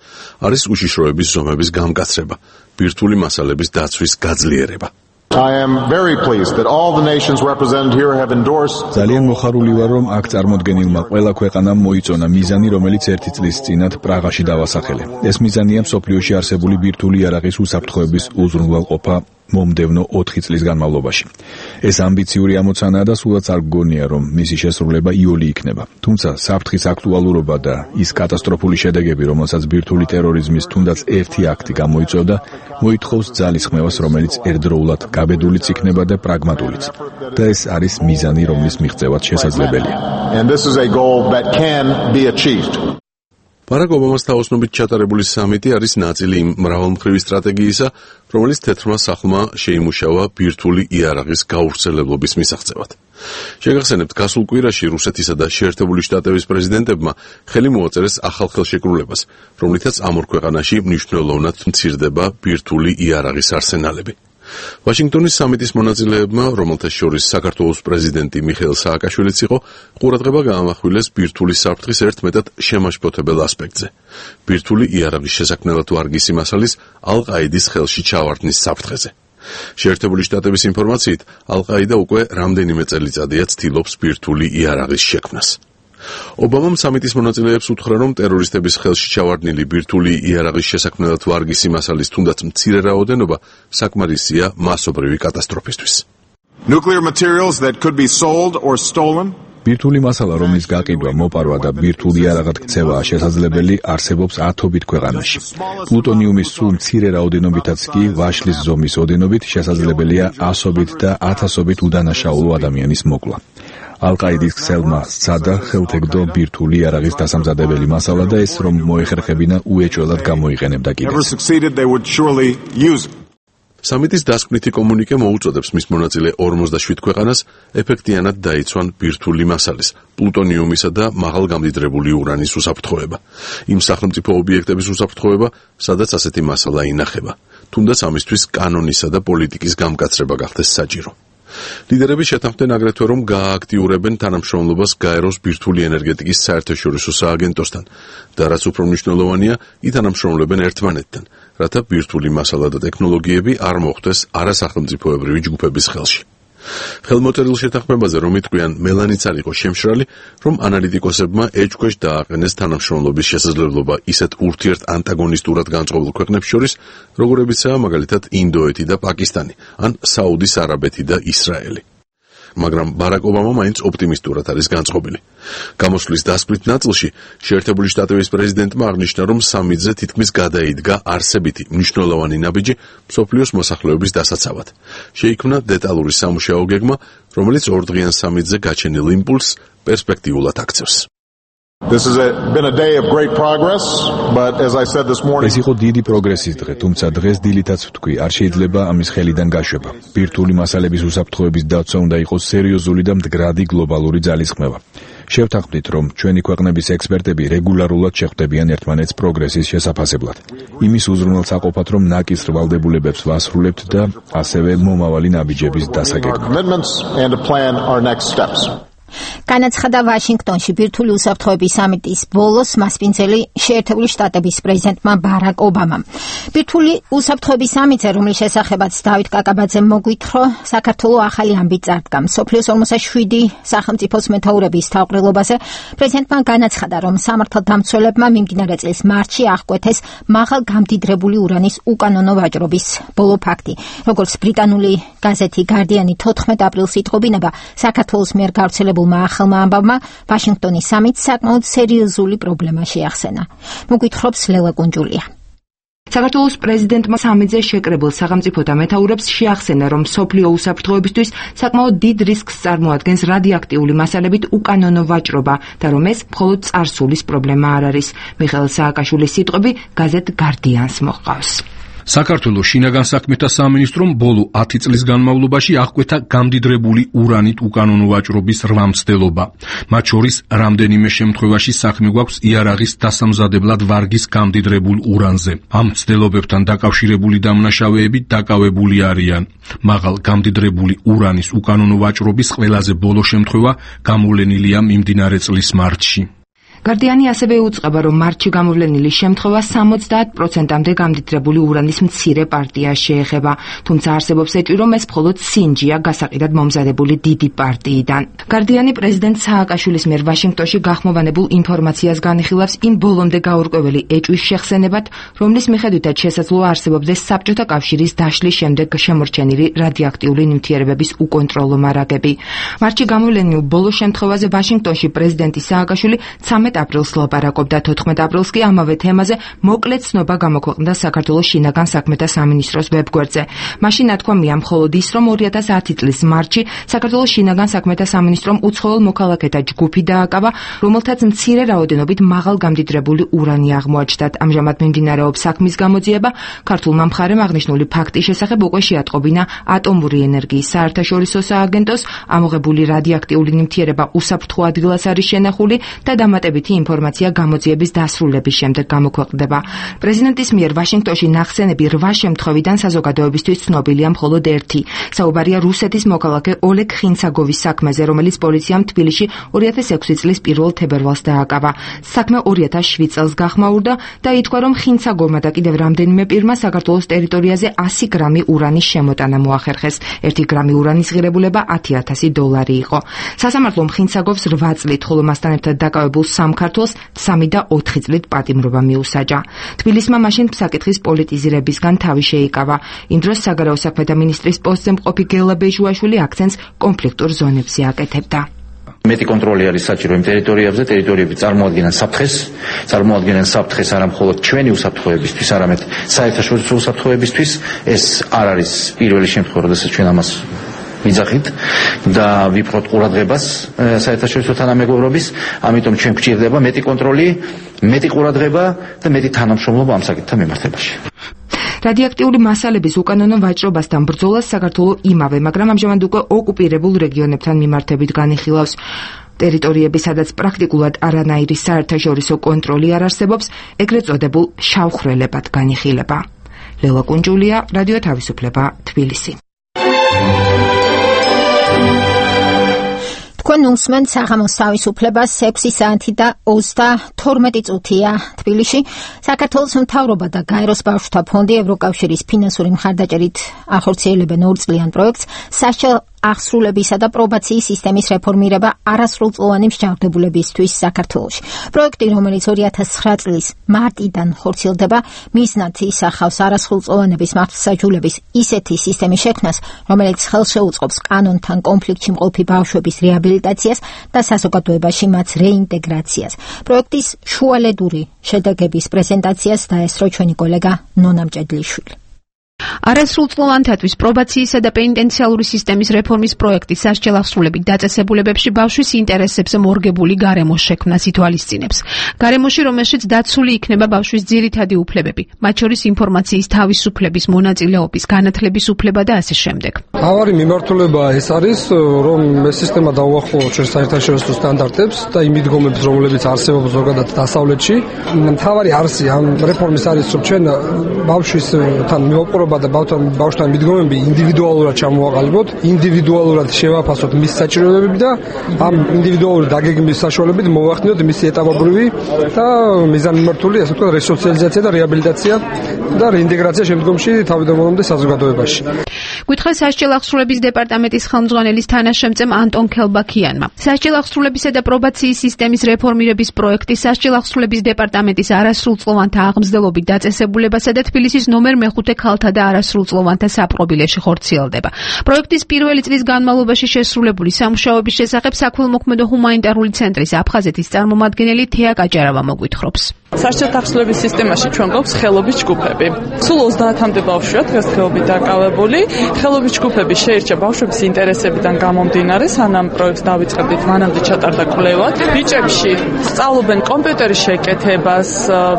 არის უშიშროების ზომების გამკაცრება, ბირთვული მასალების დაცვის გაძლიერება. I am very pleased that all the nations represented here have endorsed. ძალიან მოხარული ვარ, რომ აქ წარმოდგენილმა ყველა ქვეყანამ მოიწონა მიზანი, რომელიც ერთი წლის წინათ პრაღაში დავასახელე. ეს მიზანია მსოფლიოში არსებული ბირთვული იარაღის უსაფრთხოების უზრუნველყოფა მომდევნო ოთხი წლის განმავლობაში. ეს ამბიციური ამოცანაა და სულაც არ გგონია, რომ მისი შესრულება იოლი იქნება. თუმცა საფრთხის აქტუალურობა და ის კატასტროფული შედეგები, რომელსაც ბირთვული ტერორიზმის თუნდაც ერთი აქტი გამოიწვევდა, მოითხოვს ძალისხმევას, რომელიც ერთდროულად გაბედულიც იქნება და პრაგმატულიც. და ეს არის მიზანი, რომლის მიღწევაც შესაძლებელია. And this is a goal that can be achieved. ბარაკ ობამას თაოსნობით ჩატარებული სამიტი არის ნაწილი იმ მრავალმხრივი სტრატეგიისა, რომელიც თეთრმა სახლმა შეიმუშავა ბირთვული იარაღის გავრცელებლობის მისაღწევად. შეგახსენებთ, გასულ კვირაში რუსეთისა და შეერთებული შტატების პრეზიდენტებმა ხელი მოაწერეს ახალ ხელშეკრულებას, რომლითაც ამ ორ ქვეყანაში მნიშვნელოვნად მცირდება ბირთვული იარაღის არსენალები. ვაშინგტონის სამიტის მონაწილეებმა, რომელთა შორის საქართველოს პრეზიდენტი მიხეილ სააკაშვილიც იყო, ყურადღება გაამახვილეს ბირთვული საფრთხის ერთმეტად შემაშფოთებელ ასპექტზე. ბირთვული იარაღის შესაქმნელად ვარგისი მასალის ალ-ყაიდის ხელში ჩავარდნის საფრთხეზე. შეერთებული შტატების ინფორმაციით, ალ-ყაიდა უკვე რამდენიმე წელიწადია ცდილობს ბირთვული იარაღის შექმნას. ობამამ სამიტის მონაწილეებს უთხრა, რომ ტერორისტების ხელში ჩავარდნილი ბირთვული იარაღის შესაქმნელად ვარგისი მასალის თუნდაც მცირე რაოდენობა საკმარისია მასობრივი კატასტროფისთვის. Nuclear materials that could be sold or stolen. ბირთვული მასალა, რომლის გაყიდვა, მოპარვა და ბირთვული იარაღად ქცევაა შესაძლებელი, არსებობს ათობით ქვეყანაში. პლუტონიუმის სულ მცირე რაოდენობითაც კი ვაშლის ზომის ოდენობით შესაძლებელია ასობით და ათასობით უდანაშაულო ადამიანის მოკვლა. ალ-ყაიდის ქსელმა სცადა ხელთეგდო ბირთვული იარაღის დასამზადებელი მასალა და ეს რომ მოეხერხებინა უეჭველად გამოიყენებდა კიდეც. სამიტის დასკვნითი კომუნიკე მოუწოდებს მის მონაწილე ორმოცდაშვიდ ქვეყანას ეფექტიანად დაიცვან ბირთვული მასალის, პლუტონიუმისა და მაღალგამდიდრებული ურანის უსაფრთხოება. იმ სახელმწიფო ობიექტების უსაფრთხოება, სადაც ასეთი მასალა ინახება, თუნდაც ამისთვის კანონისა და პოლიტიკის გამკაცრება გახდეს საჭირო. ლიდერები შეთანხმდნენ აგრეთვე, რომ გაააქტიურებენ თანამშრომლობას გაეროს ბირთვული ენერგეტიკის საერთაშორისო სააგენტოსთან და რაც უფრო მნიშვნელოვანია, ითანამშრომლებენ ერთმანეთთან, რათა ბირთვული მასალა და ტექნოლოგიები არ მოხვდეს არასახელმწიფოებრივი ჯგუფების ხელში. ხელმოწერილ შეთანხმებაზე რომ იტყვიან მელანიც არ იყო შემშრალი, რომ ანალიტიკოსებმა ეჭქვეშ დააყენეს თანამშრომლობის შესაძლებლობა ისეთ ურთიერთ ანტაგონისტურად განწყობილ ქვეყნებს შორის, როგორებიცაა მაგალითად ინდოეთი და პაკისტანი, ან საუდის არაბეთი და ისრაელი. მაგრამ ბარაკ ობამა მაინც ოპტიმისტურად არის განწყობილი. გამოსვლის დასკვნით ნაწილში შეერთებული შტატების პრეზიდენტმა აღნიშნა, რომ სამიტზე თითქმის გადაიდგა არსებითი მნიშვნელოვანი ნაბიჯი მსოფლიოს მოსახლეობის დასაცავად. შეიქმნა დეტალური სამუშაო გეგმა, რომელიც ორდღიან სამიტზე გაჩენილ იმპულსს პერსპექტიულად აქცევს. This has been a day of great progress, but as I said this morning, ეს იყო დიდი პროგრესის დღე, თუმცა დღეს დილითაც ვთქვი, არ შეიძლება ამის ხელიდან გაშვება. ბირთვული მასალების უსაფრთხოების დაცვა უნდა იყოს სერიოზული და მდგრადი გლობალური ძალისხმევა. შევთანხმდით, რომ ჩვენი ქვეყნების ექსპერტები რეგულარულად შეხვდებიან ერთმანეთს პროგრესის შესაფასებლად. იმის უზრუნველსაყოფად, რომ ნაკის ვალდებულებებს ვასრულებთ და ასევე მომავალი ნაბიჯების დასაგეგმად. განაცხადა ვაშინგტონში ბირთვული უსაფრთხოების სამიტის ბოლოს მასპინძელი შეერთებული შტატების პრეზიდენტმა ბარაკ ობამამ. ბირთვული უსაფრთხოების სამიტზე, რომლის შესახებაც დავით კაკაბაძემ მოგვითხრა, საქართველოს ახალი ამბით წარდგა. მსოფლიოს ორმოცდაშვიდი სახელმწიფოს მეთაურების თავყრილობაზე პრეზიდენტმა განაცხადა, რომ სამართალდამცველებმა მიმდინარე წლის მარტში აღკვეთეს მაღალ გამდიდრებული ურანის უკანონო ვაჭრობის ბოლო ფაქტი. როგორც ბრიტანული გაზეთი გარდიანი თოთხმეტ აპრილს იტყობინება, საქართველოს მიერ გავრცელებულ ახალმა ამბავმა ვაშინგტონის სამიტს საკმაოდ სერიოზული პრობლემა შეახსენა. მოგვითხრობს ლელა კუნჯულია. საქართველოს პრეზიდენტმა სამიტზე შეკრებილ სახელმწიფოთა მეთაურებს შეახსენა, რომ მსოფლიო უსაფრთხოებისთვის საკმაოდ დიდ რისკს წარმოადგენს რადიოაქტიული მასალებით უკანონო ვაჭრობა და რომ ეს მხოლოდ წარსულის პრობლემა არ არის. მიხეილ სააკაშვილის სიტყვები გაზეთ გარდიანს მოჰყავს. საქართველოს შინაგან საქმეთა სამინისტრომ ბოლო ათი წლის განმავლობაში აღკვეთა გამდიდრებული ურანით უკანონო ვაჭრობის რვა მცდელობა. მათ შორის რამდენიმე შემთხვევაში საქმე გვაქვს იარაღის დასამზადებლად ვარგის გამდიდრებულ ურანზე. ამ მცდელობებთან დაკავშირებული დამნაშავეები დაკავებული არიან. მაღალ გამდიდრებული ურანის უკანონო ვაჭრობის ყველაზე ბოლო შემთხვევა გამოვლენილია მიმდინარე წლის მარტში. გარდიანი ასევე უწყება, რომ მარტში გამოვლენილი შემთხვევა სამოცდაათ პროცენტამდე გამდიდრებული ურანის მცირე პარტიას შეეხება, თუმცა არსებობს ეჭვი, რომ ეს მხოლოდ სინჯია გასაყიდად მომზადებული დიდი პარტიიდან. გარდიანი პრეზიდენტ სააკაშვილის მიერ ვაშინგტონში გახმოვანებულ ინფორმაციას განიხილავს იმ ბოლომდე გაურკვეველი ეჭვის შეხსენებად, რომლის მიხედვითაც შესაძლოა არსებობდეს საბჭოთა კავშირის დაშლის შემდეგ შემორჩენილი რადიოაქტიული ნივთიერებების უკონტროლო მარაგები. მარტში გამოვლენილ ბოლო შემთხვევაზე ვაშინგტონში პრეზიდენტი სააკაშვილი ცამეტ აპრილს ლაპარაკობდა, თოთხმეტ აპრილს კი ამავე თემაზე მოკლე ცნობა გამოქვეყნდა საქართველოს შინაგან საქმეთა სამინისტროს ვებგვერდზე. მაშინ ნათქვამია მხოლოდ ის, რომ ორი ათას ათი წლის მარტში საქართველოს შინაგან საქმეთა სამინისტრომ უცხოელ მოქალაქეთა ჯგუფი დააკავა, რომელთაც მცირე რაოდენობით მაღალ გამდიდრებული ურანი აღმოაჩნდათ. ამჟამად მიმდინარეობს საქმის გამოძიება. ქართულმა მხარემ აღნიშნული ფაქტის შესახებ უკვე შეატყობინა ატომური ენერგიის საერთაშორისო სააგენტოს, ამოღებული რადიოაქტიული ნივთიერება უსაფრთხო ადგილას არის შენახული და დამატებით ინფორმაცია გამოძიების დასრულების შემდეგ გამოქვეყნდება. პრეზიდენტის მიერ ვაშინგტონში ნახსენები რვა შემთხვევიდან საზოგადოებისთვის ცნობილია მხოლოდ ერთი. საუბარია რუსეთის მოქალაქე ოლეგ ხინცაგოვის საქმეზე, რომელიც პოლიციამ თბილისში ორი ათას ექვსი წლის პირველ თებერვალს დააკავა. საქმე ორი ათას შვიდ წელს გახმაურდა და ითქვა, რომ ხინცაგოვმა და კიდევ რამდენიმე პირმა საქართველოს ტერიტორიაზე ასი გრამი ურანის შემოტანა მოახერხეს. ერთი გრამი ურანის ღირებულება ათი ათასი დოლარი იყო. სასამართლომ ხინცაგოვს რვა წლით, ხოლო მასთან ერთად დაკავებულ სამ ქართველს სამი და ოთხი წლით პატიმრობა მიუსაჯა. თბილისმა მაშინ საკითხის პოლიტიზირებისგან თავი შეიკავა. იმ დროს საგარეო საქმეთა მინისტრის პოსტზე მყოფი გელა ბეჟუაშვილი აქცენტს კონფლიქტურ ზონებზე აკეთებდა. მეტი კონტროლი არის საჭირო იმ ტერიტორიებზე, ტერიტორიები წარმოადგენენ საფრთხეს, წარმოადგენენ საფრთხეს არა მხოლოდ ჩვენი უსაფრთხოებისთვის, არამედ საერთაშორისო უსაფრთხოებისთვის. ეს არ არის პირველი შემთხვევა, როდესაც ჩვენ ამას ვიძახით და ვიფრთხოთ ყურადღებას საერთაშორისო თანამეგობრობის, ამიტომ ჩვენ გვჭირდება მეტი კონტროლი, მეტი ყურადღება და მეტი თანამშრომლობა ამ საკითხთან მიმართებაში. რადიოაქტიული მასალების უკანონო ვაჭრობასთან ბრძოლას საქართველოს იმავე, მაგრამ ამჟამად უკვე ოკუპირებულ რეგიონებთან მიმართებით განიხილავს. ტერიტორიები, სადაც პრაქტიკულად არანაირი საერთაშორისო კონტროლი არ არსებობს, ეგრეთ წოდებულ შავხრელებად განიხილება. ლელა კუნჯულია, რადიო თავისუფლება, თბილისი. თქვენ უსმენთ საღამოს თავისუფლებას ექვსი საათი და ოცდათორმეტი წუთია თბილისში. საქართველოს მთავრობა და გაეროს ბავშვთა ფონდი ევროკავშირის ფინანსური მხარდაჭერით ახორციელებენ ორწლიან პროექტს სასჯელ აღსრულებისა და პრობაციის სისტემის რეფორმირება არასრულწლოვანი მსჯავრდებულებისთვის საქართველოში. პროექტი, რომელიც ორი ათას ცხრა წლის მარტიდან ხორციელდება, მიზნად ისახავს არასრულწლოვანების მართლმსაჯულების ისეთი სისტემის შექმნას, რომელიც ხელშეუწყობს კანონთან კონფლიქტში მყოფი ბავშვების რეაბილიტაციას და საზოგადოებაში მათ რეინტეგრაციას. პროექტის შუალედური შედეგების პრეზენტაციას დაესწრო ჩვენი კოლეგა ნონა მჭედლიშვილი. არასრულწლოვანთათვის პრობაციისა და პენიტენციალური სისტემის რეფორმის პროექტი სასჯელ აღსრულებით დაწესებულებებში ბავშვის ინტერესებზე მორგებული გარემოს შექმნას ითვალისწინებს. გარემოში, რომელშიც დაცული იქნება ბავშვის ძირითადი უფლებები, მათ შორის ინფორმაციის თავისუფლების, მონაწილეობის, განათლების უფლება და ასე შემდეგ. მთავარი მიმართულება ეს არის, რომ ეს სისტემა დაუახლოვოს ჩვენ საერთაშორისო სტანდარტებს და იმ მიდგომებს, რომლებიც არსებობს ზოგადად დასავლეთში. მთავარი არსი ამ რეფორმის არის, რომ ჩვენ ბავშვისთან მივაყურებთ და ბავშვთან მიდგომები ინდივიდუალურად ჩამოვაყალიბოთ, ინდივიდუალურად შევაფასოთ მის საჭიროებები და ამ ინდივიდუალური დაგეგმვის საშუალებით მოვახდინოთ მისი ეტაპობრივი და მიზანმიმართული, ასე ვთქვათ, რესოციალიზაცია და რეაბილიტაცია და რეინტეგრაცია შემდგომში თავიდანვე საზოგადოებაში. გითხრა სასჯელ აღსრულების დეპარტამენტის ხელმძღვანელის თანაშემწემ ანტონ ქელბაქიანმა. სასჯელ აღსრულებისა და პრობაციის სისტემის რეფორმირების პროექტი სასჯელ აღსრულების დეპარტამენტის არასრულწლოვანთა აღმზრდელობით დაწესებულებასა და თბილისის ნომერ მეხუთე ქალთა და არასრულწლოვანთა საპყრობილეში ხორციელდება. პროექტის პირველი წლის განმავლობაში შესრულებული სამუშაოების შესახებ საქველმოქმედო ჰუმანიტარული ცენტრის აფხაზეთის წარმომადგენელი თეა კაჭარავა მოგვითხრობს. სასჯელთა ახსნილების სისტემაში ჩვენ გვაქვს ხელობის ჯგუფები. სულ ოცდაათამდე ბავშვია დღესდღეობით დაკავებული. ხელობის ჯგუფები შეირჩა ბავშვების ინტერესებიდან გამომდინარე, სანამ პროექტს დავიწყებდით, მანამდე ჩატარდა კვლევა. ბიჭებში სწავლობენ კომპიუტერის შეკეთებას,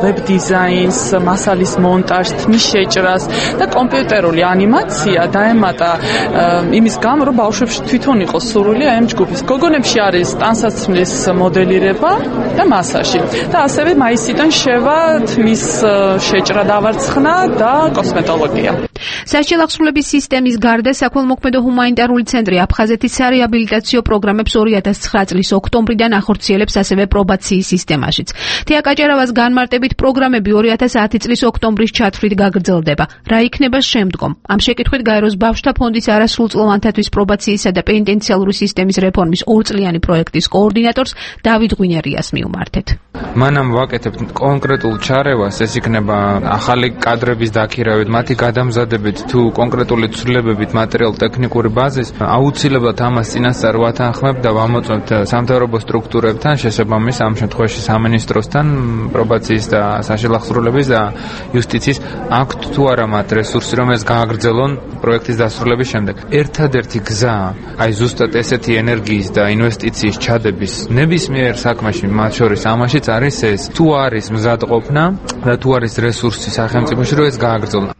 ვებ დიზაინს, მასალის მონტაჟს, თმის შეჭრას და კომპიუტერული ანიმაცია დაემატა იმის გამო, რომ ბავშვებში თვითონ იყოს სურვილი აი ამ ჯგუფის. გოგონებში არის ტანსაცმლის მოდელირება და მასაჟი. და ასევე მაისიდან შევა თმის შეჭრა დავარცხნა და კოსმეტოლოგია. სასჯელ-ახსნილების სისტემის გარდა საქველმოქმედო ჰუმანიტარული ცენტრი აფხაზეთის სარეაბილიტაციო პროგრამებს ორი ათას ცხრა წლის ოქტომბრიდან ახორციელებს ასევე პრობაციის სისტემაშიც. თეა კაჭარავას განმარტებით პროგრამები ორი ათას ათი წლის ოქტომბრის ჩათვლით გაგრძელდება. რა იქნება შემდგომ? ამ შეკითხვით გაეროს ბავშვთა ფონდის არასრულწლოვანთათვის პრობაციისა და პენიტენციალური სისტემის რეფორმის ორწლიანი პროექტის კოორდინატორს დავით ღვინერიას მიუმართეთ. მანამ ვაკეთებთ კონკრეტულ ჩარევას, ეს იქნება ახალი კადრების დაქირავებით, მათი გადამზადებით თუ კონკრეტული ცვლილებებით მატერიალ-ტექნიკური ბაზის, აუცილებლად ამას წინასწარ ვათანხმებთ და ვამოწმებთ სამთავრობო სტრუქტურებთან, შესაბამის ამ შემთხვევაში სამინისტროსთან, პრობაციის და სასჯელ-ახსნილების და იუსტიციის აქვთ თუ არა მათ რესურსი, რომ ეს გააგრძელონ პროექტის დასრულების შემდეგ. ერთადერთი გზა, აი ზუსტად ესეთი ენერგიის და ინვესტიციის ჩადების ნებისმიერ საქმეში, მათ შორის ამაშიც არის ეს, თუ არის მზადყოფნა და თუ არის რესურსი სახელმწიფოში, რომ ეს გააგრძელონ.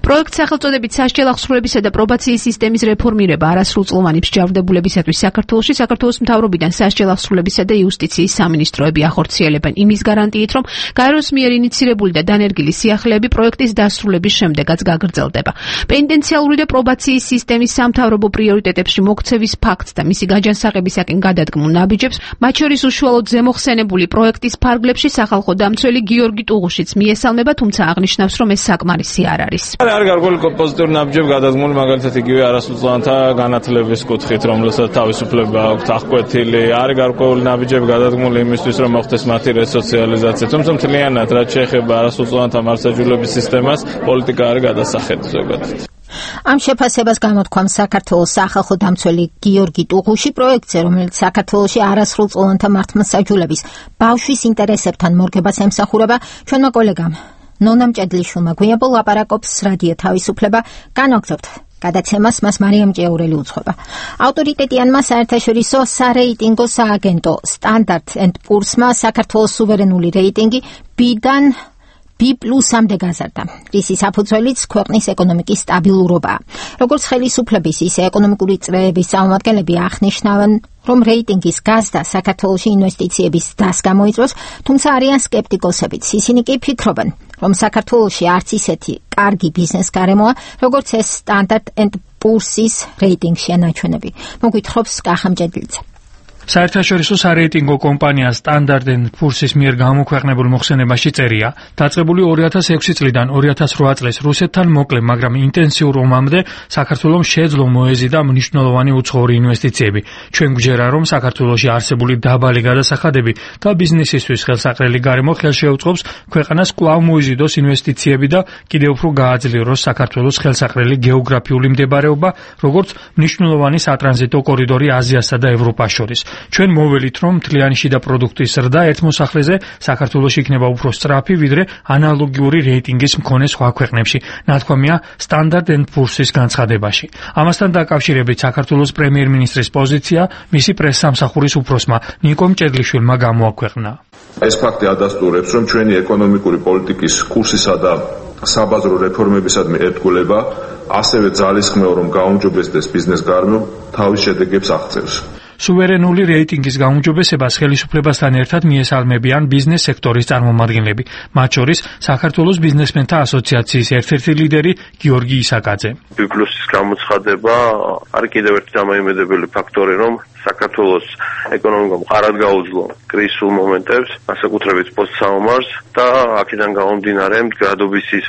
პროექტს სახელწოდებით სასჯელ-ახსნილებისა და პრობაციის სისტემის რეფორმირება არასრულწლოვანი მსჯავრდებულებისათვის საქართველოში საქართველოს მთავრობიდან სასჯელ-ახსნილებისა და იუსტიციის სამინისტროები ახორციელებენ იმის გარანტიით, რომ გაეროს მიერ ინიცირებული და დანერგილი სიახლეები პროექტის დასრულების შემდეგაც გაგრძელდება. პენიტენციალური და პრობაციის სისტემის სამთავრობო პრიორიტეტებში მოქცევის ფაქტს და მისი გაჯანსაღებისაკენ გადადგმულ ნაბიჯებს, მათ შორის უშუალოდ ზემოხსენებული პროექტის ფარგლებში სახალხო დამცველი გიორგი ტუღუშიც მიესალმება, თუმცა აღნიშნავს, რომ ეს საკმარისი არ არის. არის გარკვეული პოზიტიური ნაბიჯები გადადგმული, მაგალითად იგივე არასრულწლოვანთა განათლების კუთხით, რომელსაც თავისუფლება აქვთ აღკვეთილი, არის გარკვეული ნაბიჯები გადადგმული იმისთვის, რომ მოხდეს მათი რესოციალიზაცია. თუმცა მთლიანად რაც შეეხება არასრულწლოვანთა მართლმსაჯულების სისტემას, პოლიტიკა არის გადასახედი ზოგადად. ამ შეფასებას გამოთქვამს საქართველოს სახალხო დამცველი გიორგი ტუღუში პროექტზე, რომელიც საქართველოში არასრულწლოვანთა მართლმსაჯულების ბავშვის ინტერესებთან მორგებას ემსახურება. ჩვენმა კოლეგამ ნონა მჭედლიშვილმა გვიაბო ლაპარაკობს რადიო თავისუფლება, განვაგრძობთ გადაცემას, მას მარიამ ჭიაურელი უძღვება. ავტორიტეტიანმა საერთაშორისო სარეიტინგო სააგენტო Standard and Poor's-მა საქართველოს სუვერენული რეიტინგი B-დან B პლუსამდე გაზარდა. რისი საფუძველიც ქვეყნის ეკონომიკის სტაბილურობაა. როგორც ხელისუფლების, ისე ეკონომიკური წრეების წარმომადგენლები აღნიშნავენ, რომ რეიტინგის გაზრდა საქართველოში ინვესტიციების დასს გამოიწვევს, თუმცა არიან სკეპტიკოსებიც. ისინი კი ფიქრობენ, რომ საქართველოში არც ისეთი კარგი ბიზნეს გარემოა, როგორც ეს Standard and Poor's-ის რეიტინგშია ნაჩვენები. მოგვითხრობს კახა მჭედლიძე. საერთაშორისო სარეიტინგო კომპანია Standard and Poor's-ის მიერ გამოქვეყნებულ მოხსენებაში წერია, დაწყებული ორი ათას ექვსი წლიდან ორი ათას რვა წლის რუსეთთან მოკლე, მაგრამ ინტენსიურ ომამდე საქართველოს შეძლო მოეზიდა მნიშვნელოვანი უცხოური ინვესტიციები. ჩვენ გვჯერა, რომ საქართველოში არსებული დაბალი გადასახადები და ბიზნესისთვის ხელსაყრელი გარემო ხელშეუწყობს ქვეყანას კვლავ მოიზიდოს ინვესტიციები და კიდევ უფრო გააძლიეროს საქართველოს ხელსაყრელი გეოგრაფიული მდებარეობა, როგორც მნიშვნელოვანი სატრანზიტო კორიდორი აზიასა და ევროპას შორის. ჩვენ მოველით, რომ მთლიანი შიდა პროდუქტის ზრდა ერთ მოსახლეზე საქართველოში იქნება უფრო სწრაფი, ვიდრე ანალოგიური რეიტინგის მქონე სხვა ქვეყნებში, ნათქვამია Standard and Poor's-ის განცხადებაში. ამასთან დაკავშირებით საქართველოს პრემიერ-მინისტრის პოზიცია მისი პრესსამსახურის უფროსმა ნიკო მჭედლიშვილმა გამოაქვეყნა. ეს ფაქტი ადასტურებს, რომ ჩვენი ეკონომიკური პოლიტიკის კურსისა და საბაზრო რეფორმებისადმი ერთგულება ასევე ძალისხმევა, რომ გაუმჯობესდეს ბიზნეს გარემო, თავის შედეგებს აღწევს. სუვერენული რეიტინგის გაუმჯობესებას ხელისუფლებასთან ერთად მიესალმებიან ბიზნეს სექტორის წარმომადგენლები, მათ შორის საქართველოს ბიზნესმენთა ასოციაციის ერთ-ერთი ლიდერი გიორგი ისაკაძე. B პლუსის გამოცხადება არის კიდევ ერთი დამოიმედებელი ფაქტორი, რომ საქართველოს ეკონომიკა მყარად გაუძლო კრიზისულ მომენტებს, განსაკუთრებით პოსტსაომარს და აქედან გამომდინარე მდგრადობისის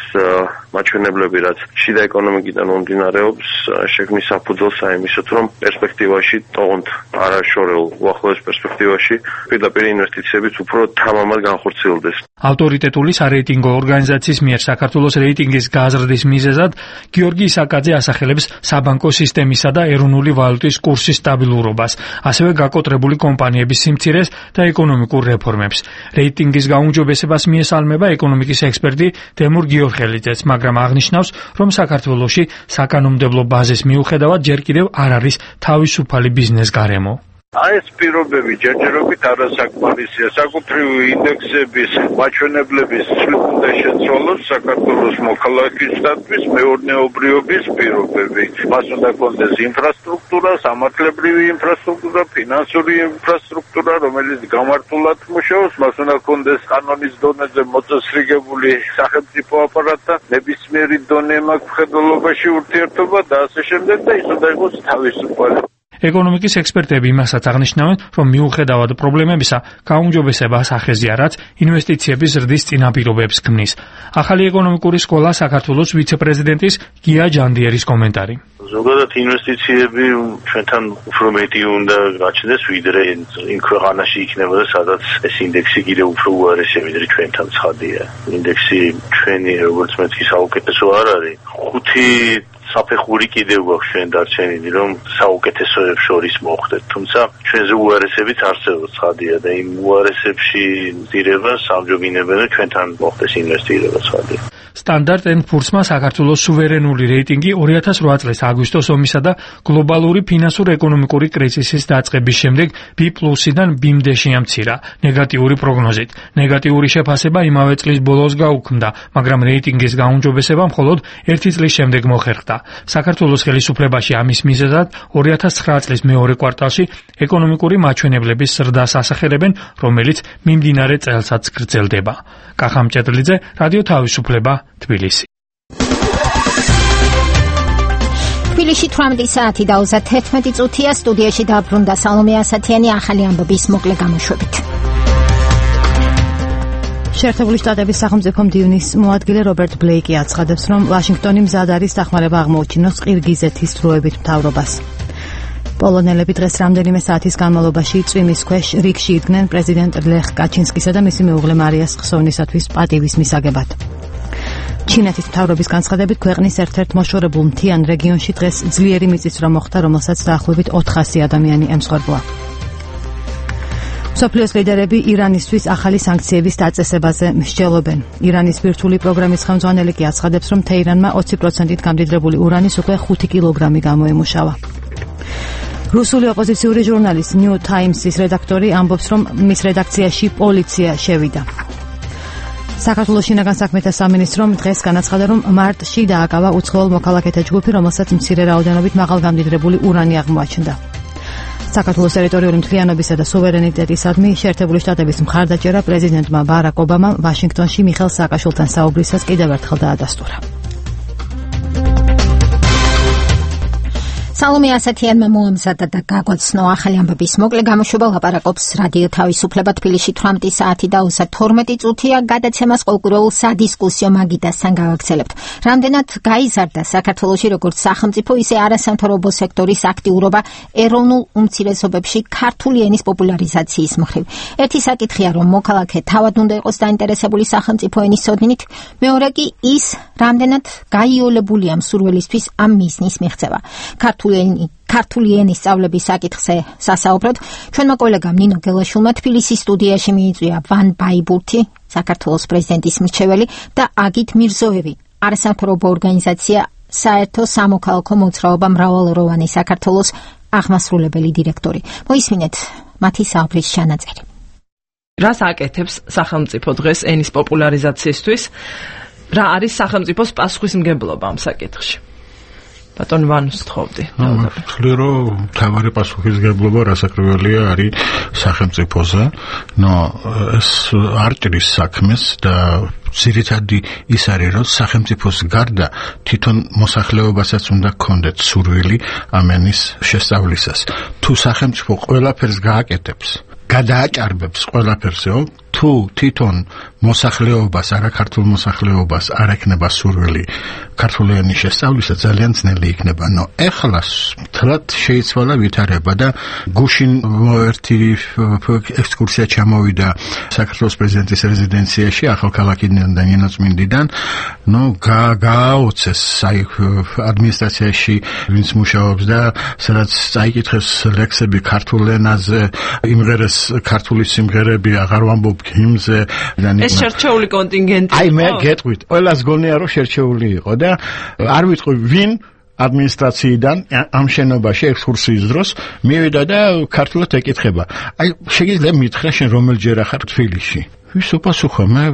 მაჩვენებლები, რაც შიდა ეკონომიკიდან მომდინარეობს, შექმნის საფუძველს აიმისოთ, რომ პერსპექტივაში ტოვონთ არაშორეულ უახლოეს პერსპექტივაში პირდაპირ ინვესტიციებიც უფრო თამამად განხორციელდეს. ავტორიტეტული სარეიტინგო ორგანიზაციის მიერ საქართველოს რეიტინგის გაზრდის მიზეზად გიორგი ისაკაძე ასახელებს საბანკო სისტემისა და ეროვნული ვალუტის კურსის სტაბილურობას. ასევე გაკოტრებული კომპანიების სიმცირეს და ეკონომიკურ რეფორმებს. რეიტინგის გაუმჯობესებას მიესალმება ეკონომიკის ექსპერტი დემურ გიორხელიძეც, მაგრამ აღნიშნავს, რომ საქართველოში საკანონმდებლო ბაზის მიუხედავად ჯერ კიდევ არ არის თავისუფალი ბიზნეს გარემო. აი ეს პირობები ჯერჯერობით არასაკმარისია. საკუთრივი ინდექსების მაჩვენებლების უნდა შეცვალოს საქართველოს მოქალაქისათვის მეურნეობრიობის პირობები. მას უნდა კონდეს ინფრასტრუქტურა, სამართლებრივი ინფრასტრუქტურა, ფინანსური ინფრასტრუქტურა, რომელიც გამართულად მუშაობს, მას უნდა კონდეს კანონის დონეზე მოწესრიგებული სახელმწიფო აპარატი, ნებისმიერი დონე მაქვს მხედველობაში ურთიერთობა და ასე შემდეგ და ის უნდა იყოს თავისუფალი. ეკონომიკის ექსპერტები იმასაც აღნიშნავენ, რომ მიუხედავად პრობლემებისა, გაუმჯობესებას ახეზია, რაც ინვესტიციების ზრდის წინაპირობებს ქმნის. ახალი ეკონომიკური სკოლა საქართველოს ვიცე-პრეზიდენტის გია ჯანდიერის კომენტარი. ზოგადად ინვესტიციები ჩვენთან უფრო მეტი უნდა გაჩნდეს, ვიდრე იმ ქვეყანაში იქნებოდა, სადაც ეს ინდექსი კიდევ უფრო უარესია, ვიდრე ჩვენთან ცხადია. ინდექსი ჩვენი როგორც მეთქი საუკეთესო არ არის. ხუთი საფეხური კიდევ გვაქვს ჩვენ დარჩენილი, რომ საუკეთესოებს შორის მოხვდეთ. თუმცა ჩვენზე უარესებიც არსებობს ცხადია და იმ უარესებში ძირებას ამჯობინებენ და ჩვენთან მოხდეს ინვესტირება ცხადია. სტანდარტ ენდ პურსმა საქართველოს სუვერენული რეიტინგი ორი ათას რვა წლის აგვისტოს ომისა და გლობალური ფინანსურ-ეკონომიკური კრიზისის დაწყების შემდეგ B პლუსიდან B-მდე შეამცირა ნეგატიური პროგნოზით. ნეგატიური შეფასება იმავე წლის ბოლოს გაუქმდა, მაგრამ რეიტინგის გაუმჯობესება მხოლოდ ერთი წლის შემდეგ მოხერხდა. საქართველოს ხელისუფლებაში ამის მიზეზად ორი ათას ცხრა წლის მეორე კვარტალში ეკონომიკური მაჩვენებლების ზრდას ასახელებენ, რომელიც მიმდინარე წელსაც გრძელდება. კახამ ჭედლიძე, რადიო თავისუფლება, თბილისი. თბილისში თვრამეტი საათი და ოცდათერთმეტი წუთია. სტუდიაში დაბრუნდა სალომე ასათიანი ახალი ამბების მოკლე გამოშვებით. შეერთებული შტატების სახელმწიფო მდივნის მოადგილე რობერტ ბლეიკი აცხადებს, რომ ვაშინგტონი მზად არის დახმარება აღმოუჩინოს ყირგიზეთის დროებით მთავრობას. პოლონელები დღეს რამდენიმე საათის განმავლობაში წვიმის ქვეშ რიგში იდგნენ პრეზიდენტ ლეხ კაჩინსკისა და მისი მეუღლე მარიას ხსოვნისათვის პატივის მისაგებად. ჩინეთის მთავრობის განცხადებით, ქვეყნის ერთ-ერთ მოშორებულ მთიან რეგიონში დღეს ძლიერი მიწისძვრა მოხდა, რომელსაც დაახლოებით ოთხასი ადამიანი ემსხვერპლა. მსოფლიოს ლიდერები ირანისთვის ახალი სანქციების დაწესებაზე მსჯელობენ. ირანის ბირთვული პროგრამის ხელმძღვანელი კი აცხადებს, რომ თეირანმა ოცი პროცენტით გამდიდრებული ურანის უკვე ხუთი კილოგრამი გამოემუშავა. რუსული ოპოზიციური ჟურნალის New Times-ის რედაქტორი ამბობს, რომ მის რედაქციაში პოლიცია შევიდა. საქართველოს შინაგან საქმეთა სამინისტრომ დღეს განაცხადა, რომ მარტში დააკავა უცხოელ მოქალაქეთა ჯგუფი, რომელსაც მცირე რაოდენობით მაღალგამდიდრებული ურანი აღმოაჩნდა. საქართველოს ტერიტორიული მთლიანობისა და სუვერენიტეტისადმი შეერთებული შტატების მხარდაჭერა პრეზიდენტმა ბარაკ ობამამ ვაშინგტონში მიხელ სააკაშვილთან საუბრისას კიდევ ერთხელ დაადასტურა. სალომე ასათიანმა მოამზადა და გაგვაცნო ახალი ამბების მოკლე გამოშვება. ლაპარაკობს რადიო თავისუფლება. თბილისში თვრამეტი საათი და ოცდათორმეტი წუთია. გადაცემას ყოველკვირეულ სადისკუსიო მაგიდასთან გავაგრძელებთ. რამდენად გაიზარდა საქართველოში როგორც სახელმწიფო, ისე არასამთავრობო სექტორის აქტიურობა ეროვნულ უმცირესობებში ქართული ენის პოპულარიზაციის მხრივ. ერთი საკითხია, რომ მოქალაქე თავად უნდა იყოს დაინტერესებული სახელმწიფო ენის ცოდნით, მეორე კი ის, რამდენად გაიოლებულია მსურველისთვის ამ მიზნის მიღწევა. ქართული ენის სწავლების საკითხზე სასაუბროდ ჩვენმა კოლეგამ ნინო გელაშვილმა თბილისის სტუდიაში მიიწვია ვან ბაიბურთი, საქართველოს პრეზიდენტის მრჩეველი და აგით მირზოევი, არასამთავრობო ორგანიზაცია საერთო სამოქალაქო მოძრაობა მრავალროვანი საქართველოს აღმასრულებელი დირექტორი. მოისმინეთ მათი საუბრის ჩანაწერი. რას აკეთებს სახელმწიფო დღეს ენის პოპულარიზაციისთვის? რა არის სახელმწიფოს პასუხისმგებლობა ამ საკითხში? ბატონ ვანუს თხოვდი. ვთვლი, რომ თავარი პასუხისმგებლობა რასაკრებელია არის სახელმწიფოზე. ნო ეს არ ჭრის საქმეს და ძირითადი ის არის, რომ სახელმწიფოს გარდა თვითონ მოსახლეობასაც უნდა გქონდეთ სურვილი ამ ენის შესწავლისას. თუ სახელმწიფო ყველაფერს გააკეთებს, გადააჭარბებს ყველაფერსეო, თუ თვითონ მოსახლეობას, არაქართულ მოსახლეობას არ ექნება სურვილი ქართულენის შესწავლისა, ძალიან ძნელი იქნება. ნო ეხლა თლად შეიცვალა ვითარება და გუშინ ერთი ექსკურსია ჩამოვიდა საქართველოს პრეზიდენტის რეზიდენციაში ახალქალაქიდან და ნინოწმინდიდან. ნო გააოცეს აი ადმინისტრაციაში ვინც მუშაობს და სადაც წაიკითხეს ლექსები ქართულ ენაზე, იმღერეს ქართული სიმღერები, აღარ ვამბობ ჰიმნზე. ეს შერჩეული კონტინგენტი. აი მე გეტყვით, ყველას გონია რომ შერჩეული იყო და არ ვიტყვი ვინ ადმინისტრაციიდან ამ შენობაში ექსკურსიის დროს მივიდა და ქართულად ეკითხება. აი შეიძლება მითხრა შენ რომელჯერ ახარ თბილისში? ვის უპასუხა? მე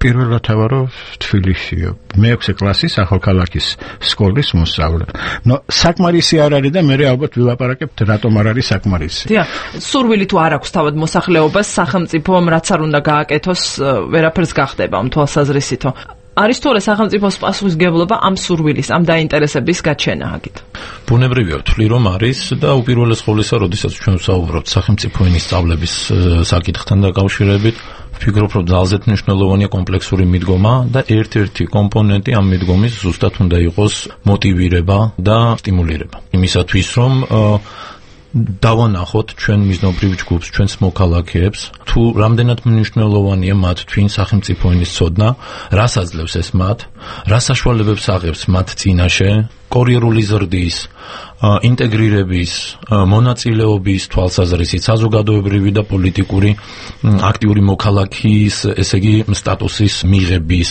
პირველად ავარო თბილისშიო. მეექვსე კლასის ახალქალაქის სკოლის მოსწავლე. ნო საკმარისი არ არის და მე ალბათ ვილაპარაკებთ რატომ არ არის საკმარისი. დიახ, სურვილი თუ არ აქვს თავად მოსახლეობას, სახელმწიფომ რაც არ უნდა გააკეთოს, ვერაფერს გახდება ამ თვალსაზრისითო. არის თორე სახელმწიფოს პასუხისმგებლობა ამ სურვილის, ამ დაინტერესების გაჩენა აქეთ. ბუნებრივია ვთვლი რომ არის და უპირველეს ყოვლისა, როდესაც ჩვენ ვსაუბრობთ სახელმწიფო ენის სწავლების საკითხთან დაკავშირებით, ვფიქრობ რომ ძალზედ მნიშვნელოვანია კომპლექსური მიდგომა და ერთ-ერთი კომპონენტი ამ მიდგომის ზუსტად უნდა იყოს მოტივირება და სტიმულირება. იმისათვის რომ დავანახოთ ჩვენ მიზნობრივ ჯგუფს, ჩვენს მოქალაქეებს, თუ რამდენად მნიშვნელოვანია მათ თვინ სახელმწიფო ენის ცოდნა, რას აძლევს ეს მათ, რა საშუალებებს აღებს მათ წინაშე, კორიერული ზრდის, ინტეგრირების, მონაწილეობის თვალსაზრისით, საზოგადოებრივი და პოლიტიკური აქტიური მოქალაქის, ესე იგი, სტატუსის მიღების.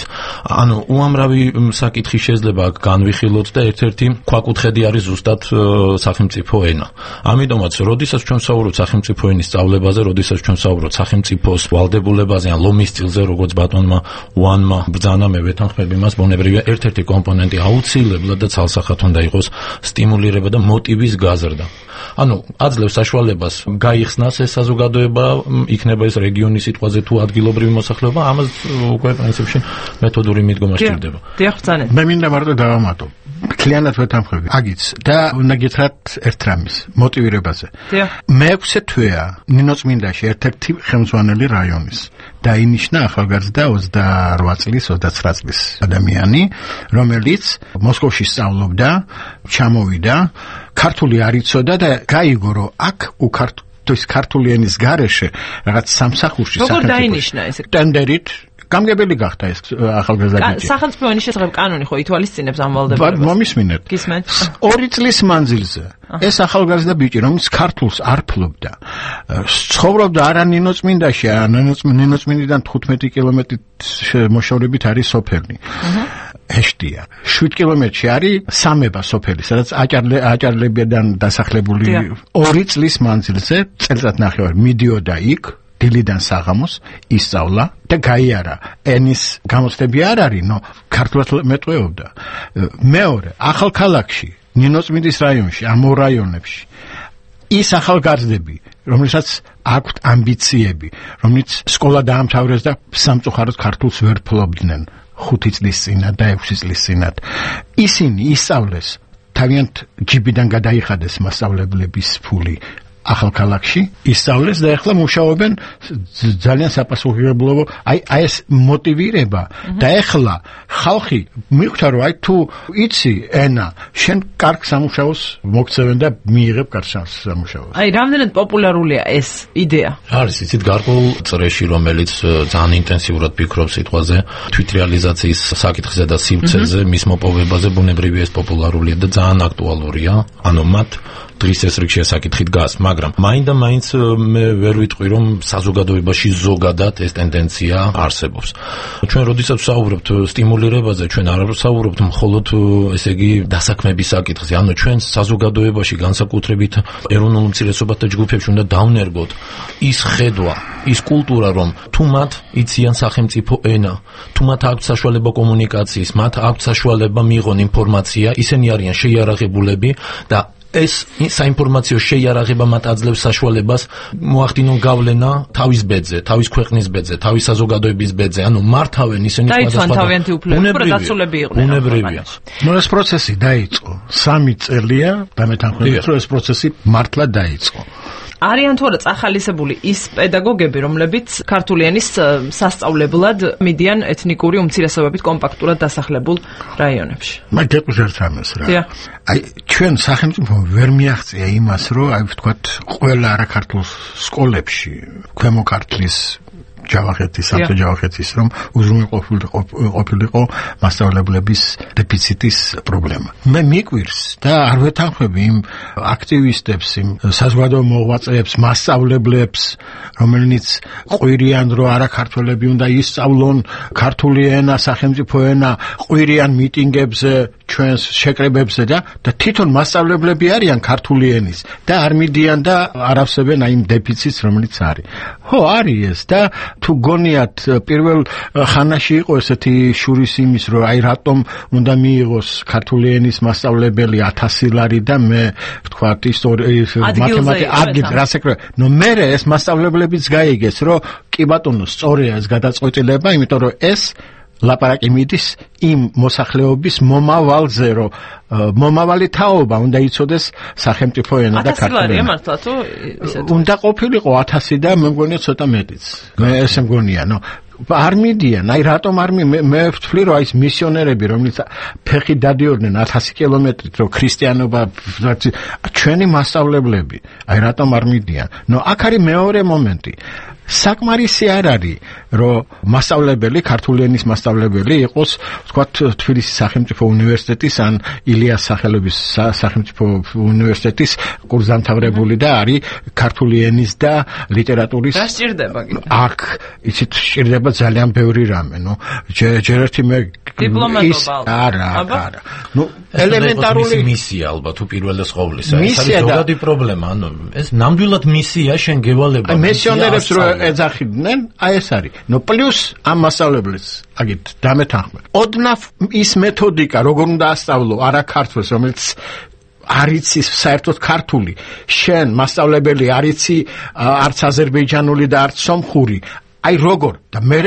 ანუ უამრავი საკითხი შეიძლება აქ განვიხილოთ და ერთ-ერთი ქვაკუთხედი არის ზუსტად სახელმწიფო ენა. ამიტომაც, როდესაც ჩვენ ვსაუბრობთ სახელმწიფო ენის სწავლებაზე, როდესაც ჩვენ ვსაუბრობთ სახელმწიფოს ვალდებულებაზე, ან ლომის სტილზე, როგორც ბატონმა უანმა ბრძანა, მე ვეთანხმები მას, ბუნებრივია ერთ-ერთი კომპონენტი აუცილებლად და ცალსახად უნდა იყოს სტიმულირება და მოტივის გაზრდა. ანუ აძლევს საშუალებას გაიხსნას ეს საზოგადოება, იქნება ეს რეგიონის სიტყვაზე თუ ადგილობრივი მოსახლეობა, ამას უკვე პრინციპში მეთოდური მიდგომა სჭირდება. დიახ, ბრძანეთ. მე მინდა მარტო დავამატო. მთლიანად ვეთანხმები. აგიც და უნდა გითხრათ ერთ რამის მოტივირებაზე. დიახ. მეექვსე თვეა ნინოწმინდაში ერთ-ერთი ხელმძღვანელი რაიონის. დაინიშნა ახალგაზრდა ოცდაორ წლის, ოცდაცხრა წლის ადამიანი, რომელიც მოსკოვში სწავლობდა, ჩამოვიდა, ქართული არ იცოდა და გაიგო, რომ აქ უქართოს ქართული ენის გარეშე რაღაც სამსახურში როგორ დაინიშნა ეს? ტენდერით გამგებელი გახდა ეს ახალგაზრდა ბიჭი. სახელმწიფო ენის შესახებ კანონი ხო ითვალისწინებს ამ ვალდებულებას? მომისმინეთ. გისმენთ? ორი წლის მანძილზე ეს ახალგაზრდა ბიჭი, რომელიც ქართულს არ ფლობდა, ცხოვრობდა არა ნინოწმინდაში, ნინოწმინდიდან თხუთმეტი კილომეტრით მოშორებით არის სოფელი. ეშტია. შვიდ კილომეტრში არის სამება სოფელი, სადაც აჭარლებიდან დასახლებული ორი წლის მანძილზე წელიწად ნახევარი მიდიოდა იქ დილიდან საღამოს ისწავლა და გაიარა. ენის გამოცდები არ არის, ნო ქართულად მეტყველობდა. მეორე, ახალქალაქში, ნინოწმინდის რაიონში, ამ ორ რაიონებში ის ახალგაზრდები, რომელსაც აქვთ ამბიციები, რომელიც სკოლა დაამთავრეს და სამწუხაროდ ქართულს ვერ ფლობდნენ ხუთი წლის წინათ და ექვსი წლის წინათ. ისინი ისწავლეს, თავიანთ ჯიბიდან გადაიხადეს მასწავლებლების ფული ახალქალაქში, ისწავლეს და ახლა მუშაობენ ძალიან საპასუხებლობო, აი აი ეს მოტივირება და ახლა ხალხი მიხვდა რომ აი თუ იცი ენა, შენ კარგ სამუშაოს მოგცევენ და მიიღებ კარგ სამუშაოს. აი რამდენად პოპულარულია ეს იდეა? არის იცით გარკვეულ წრეში, რომელიც ძალიან ინტენსიურად ფიქრობს სიტყვაზე, თვითრეალიზაციის საკითხზე და სივრცეზე, მის მოპოვებაზე, ბუნებრივია ეს პოპულარულია და ძალიან აქტუალურია. ანუ მათ დღის ეს რიგში საკითხი დგას, მაგრამ მაინდა მაინც მე ვერ ვიტყვი რომ საზოგადოებაში ზოგადად ეს ტენდენცია არსებობს. ჩვენ როდესაც ვსაუბრობთ სტიმულირებაზე, ჩვენ არ ვსაუბრობთ მხოლოდ ესე იგი დასაქმების საკითხზე, ანუ ჩვენ საზოგადოებაში განსაკუთრებით ეროვნულ უმცირესობათა ჯგუფებში უნდა დავნერგოთ ის ხედვა, ის კულტურა, რომ თუ მათ იციან სახელმწიფო ენა, თუ მათ აქვთ საშუალება კომუნიკაციის, მათ აქვთ საშუალება მიიღონ ინფორმაცია, ისინი არიან შეიარაღებულები და ეს საინფორმაციო შეიარაღება მათ აძლევს საშუალებას მოახდინონ გავლენა თავის ბედზე, თავის ქვეყნის ბედზე, თავის საზოგადოების ბედზე, ანუ მართავენ ისინი სხვადასხვა თავიანთი უფლებები იყვნენ. ბუნებრივია. ნუ ეს პროცესი დაიწყო. სამი წელია და მე თანხმობთ, რომ ეს პროცესი მართლა დაიწყო. არიან თუ არა წახალისებული ის პედაგოგები, რომლებიც ქართული ენის სასწავლებლად მიდიან ეთნიკური უმცირესობებით კომპაქტურად დასახლებულ რაიონებში. მე გეკუთვნით ამას რა. აი ჩვენ სახელმწიფო ვერ მიაღწია იმას, რომ აი ვთქვათ, ყველა არაქართულ სკოლებში ქვემო ქართლის ჯავახეთის, სამთო ჯავახეთის რომ უზრუნველყოფილიყო მასწავლებლების დეფიციტის პრობლემა. მე მიკვირს და არ ვეთანხმები იმ აქტივისტებს, იმ საზოგადო მოღვაწეებს, მასწავლებლებს, რომელნიც ყვირიან, რომ არაქართველები უნდა ისწავლონ ქართული ენა, სახელმწიფო ენა, ყვირიან მიტინგებზე, ჩვენს შეკრებებზე და და თვითონ მასწავლებლები არიან ქართული ენის და არ მიდიან და არ ავსებენ აი იმ დეფიციტს, რომელიც არის. ხო, არის ეს და თუ გონიათ პირველ ხანაში იყო ესეთი შურის იმის, რომ აი რატომ უნდა მიიღოს ქართული ენის მასწავლებელი ათასი ლარი და მე ვთქვათ ისტორია მათემატიკა ადგილ რასაკრა ნუ მე ეს მასწავლებლებიც გაიგეს, რომ კი ბატონო სწორია ეს გადაწყვეტილება, იმიტომ რომ ეს ლაპარაკი მიდის იმ მოსახლეობის მომავალზე, რომ მომავალი თაობა უნდა იცოდეს სახელმწიფო ენა და ქართული ენა. მართლა თუ ისეთ უნდა ყოფილიყო ათასი და მე მგონია ცოტა მეტიც. მე ესე მგონია, ნო არ მიდიან, აი რატომ არ მე მე ვთვლი, რომ აი ეს მისიონერები, რომლიც ფეხი დადიოდნენ ათასი კილომეტრით, რომ ქრისტიანობა ჩვენი მასწავლებლები, აი რატომ არ მიდიან? ნო აქ არის მეორე მომენტი. საკმარისი არ არის, რომ მასწავლებელი, ქართული ენის მასწავლებელი იყოს, ვთქვათ, თბილისის სახელმწიფო უნივერსიტეტის ან ილიას სახელობის სახელმწიფო უნივერსიტეტის კურსდამთავრებული და არის ქართული ენის და ლიტერატურის. რა სჭირდება კიდე? აქ იცით სჭირდება ძალიან ბევრი რამე, ნუ ჯერ ერთი მე დიპლომატობა. არა, არა. ნუ ელემენტარული მისია ალბათ თუ პირველეს ყოვლისა. ეს არის ზოგადი პრობლემა, ანუ ეს ნამდვილად მისია შენ გევალება. აი მისიონერებს რო ეძახიდნენ, აი ეს არის. ნუ პლუს ამ მასწავლებლებს, აგით დამეთანხმე. ოდნავ ის მეთოდიკა, როგორ უნდა ასწავლო არაქართულს, რომელიც არიცის საერთოდ ქართული, შენ მასწავლებელი არიცი არც აზერბაიჯანული და არც სომხური, აი როგორ და მე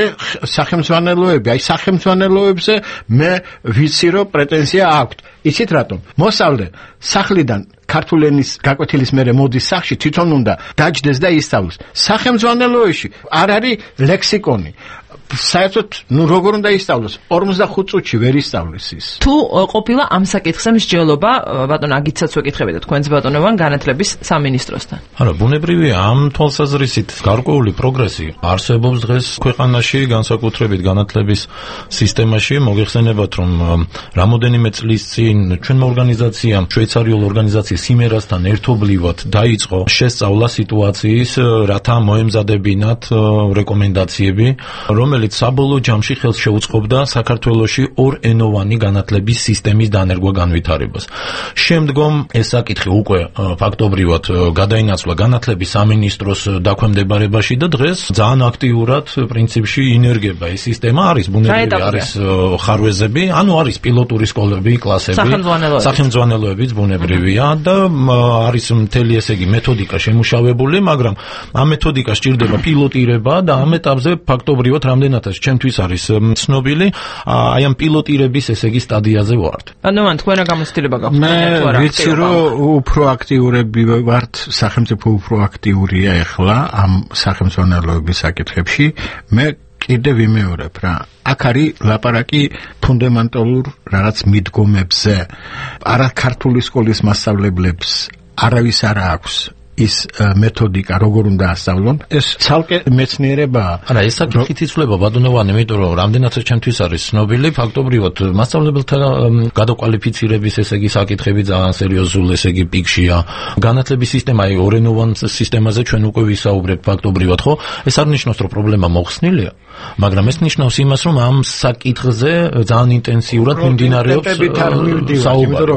სახელმძღვანელოები, აი სახელმძღვანელოებზე მე ვიცი რომ პრეტენზია აქვს. იცით რატომ? მოსავლე სახლიდან ქართული ენის გაკვეთილის მერე მოდის სახლში, თვითონ უნდა დაჯდეს და ისწავლოს. სახელმძღვანელოებში არ არის ლექსიკონი. საერთოდ ნუ როგორ უნდა ისწავლოს? ორმოცდახუთ წუთში ვერ ისწავლის ის. თუ ყოფილა ამ საკითხზე მსჯელობა, ბატონ აგიცაც ვეკითხებიათ თქვენს ბატონობან განათლების სამინისტროსთან. არა, ბუნებრივია ამ თვალსაზრისით გარკვეული პროგრესი არსებობს დღეს ქვეყანაში, განსაკუთრებით განათლების სისტემაში. მოგეხსენებათ, რომ რამოდენიმე წლის წინ ჩვენმა ორგანიზაციამ, შვეიცარიულ ორგანიზაცია სიმერასთან ერთობლივად დაიწყო შესწავლა სიტუაციის, რათა მოემზადებინათ რეკომენდაციები, რომელიც საბოლოო ჯამში ხელს შეუწყობდა საქართველოში ორენოვანი განათლების სისტემის დანერგვა განვითარებას. შემდგომ ეს საკითხი უკვე ფაქტობრივად გადაინაცვლა განათლების სამინისტროს დაქვემდებარებაში და დღეს ძალიან აქტიურად პრინციპში ინერგება ეს სისტემა. არის ბუნებრივი, არის ხარვეზები, ანუ არის პილოტური სკოლები, კლასები, სახელმძღვანელოებიც ბუნებრივია და არის მთელი ესე იგი მეთოდიკა შემუშავებული, მაგრამ ამ მეთოდიკას სჭირდება პილოტირება და ამ ეტაპზე ფაქტობრივად რამდენადაც ჩემთვის არის ცნობილი, აი ამ პილოტირების ესე იგი სტადიაზე ვართ. ანუ მან თქვენ რა გამოცდილება გაქვთ? მე ვიცი რომ უფრო აქტიურები ვართ, სახელმწიფო უფრო აქტიურია ახლა ამ სახელმძღვანელოების საკითხებში. მე კიდე ვიმეორებ რა. აქ არის ლაპარაკი ფუნდამენტალურ რაღაც მიდგომებზე. არა ქართული სკოლის მასწავლებლებს არავის არ აქვს ის მეთოდიკა როგორ უნდა ასწავლონ. ეს ცალკე მეცნიერებაა. არა, ეს საკითხით იცვლება ბატონობანი, იმიტომ რომ რამდენადაც ჩემთვის არის ცნობილი, ფაქტობრივად მასწავლებელთა გადაკვალიფიცირების ესე იგი საკითხები ძალიან სერიოზულ ესე იგი პიკშია. განათლების სისტემა, აი ორენოვან სისტემაზე ჩვენ უკვე ვისაუბრებთ ფაქტობრივად, ხო? ეს არ ნიშნავს, რომ პრობლემა მოხსნილია, მაგრამ ეს ნიშნავს იმას, რომ ამ საკითხზე ძალიან ინტენსიურად მიმდინარეობს საუბარი.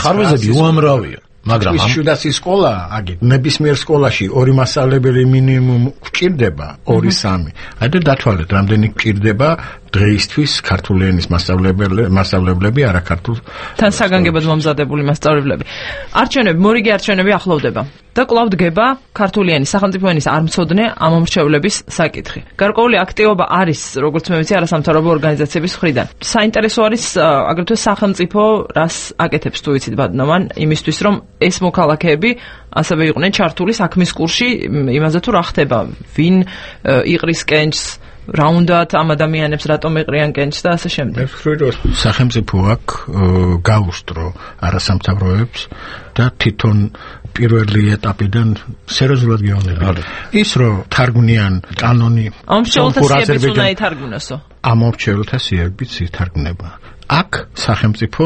ხარვეზები უამრავია. მაგრამ ის შუდასი სკოლა, აგით, ნებისმიერ სკოლაში ორი მასწავლებელი მინიმუმ გვჭირდება, ორი სამი. აი და დათვალეთ, რამდენი გვჭირდება დღეისთვის ქართული ენის მასწავლებლები მასწავლებლები არაქართულ თან საგანგებოდ მომზადებული მასწავლებლები. არჩევნები, მორიგი არჩევნები ახლოვდება და კვლავ დგება ქართული ენის სახელმწიფო ენის არ მცოდნე ამომრჩევლების საკითხი. გარკვეული აქტივობა არის, როგორც მე ვიცი, არასამთავრობო ორგანიზაციების მხრიდან. საინტერესო არის აგრეთვე სახელმწიფო რას აკეთებს თუ ვიცით ბატონოვან იმისთვის რომ ეს მოქალაქეები ასევე იყვნენ ჩართული საქმის კურსში იმაზე თუ რა ხდება, ვინ იყრის კენჭს, რა უნდათ ამ ადამიანებს რატომ ეყრიან კენჭს და ასე შემდეგ. მე ვფიქრობ რომ სახელმწიფო აქვს გაუსტრო არასამთავრობოებს და თვითონ პირველი ეტაპიდან სერიოზულად გეუბნება. ის რომ თარგმნიან კანონი ამომრჩევლთა უნდა ითარგმნოსო. ამომრჩევლთა სიებიც ითარგმნება. აქ სახელმწიფო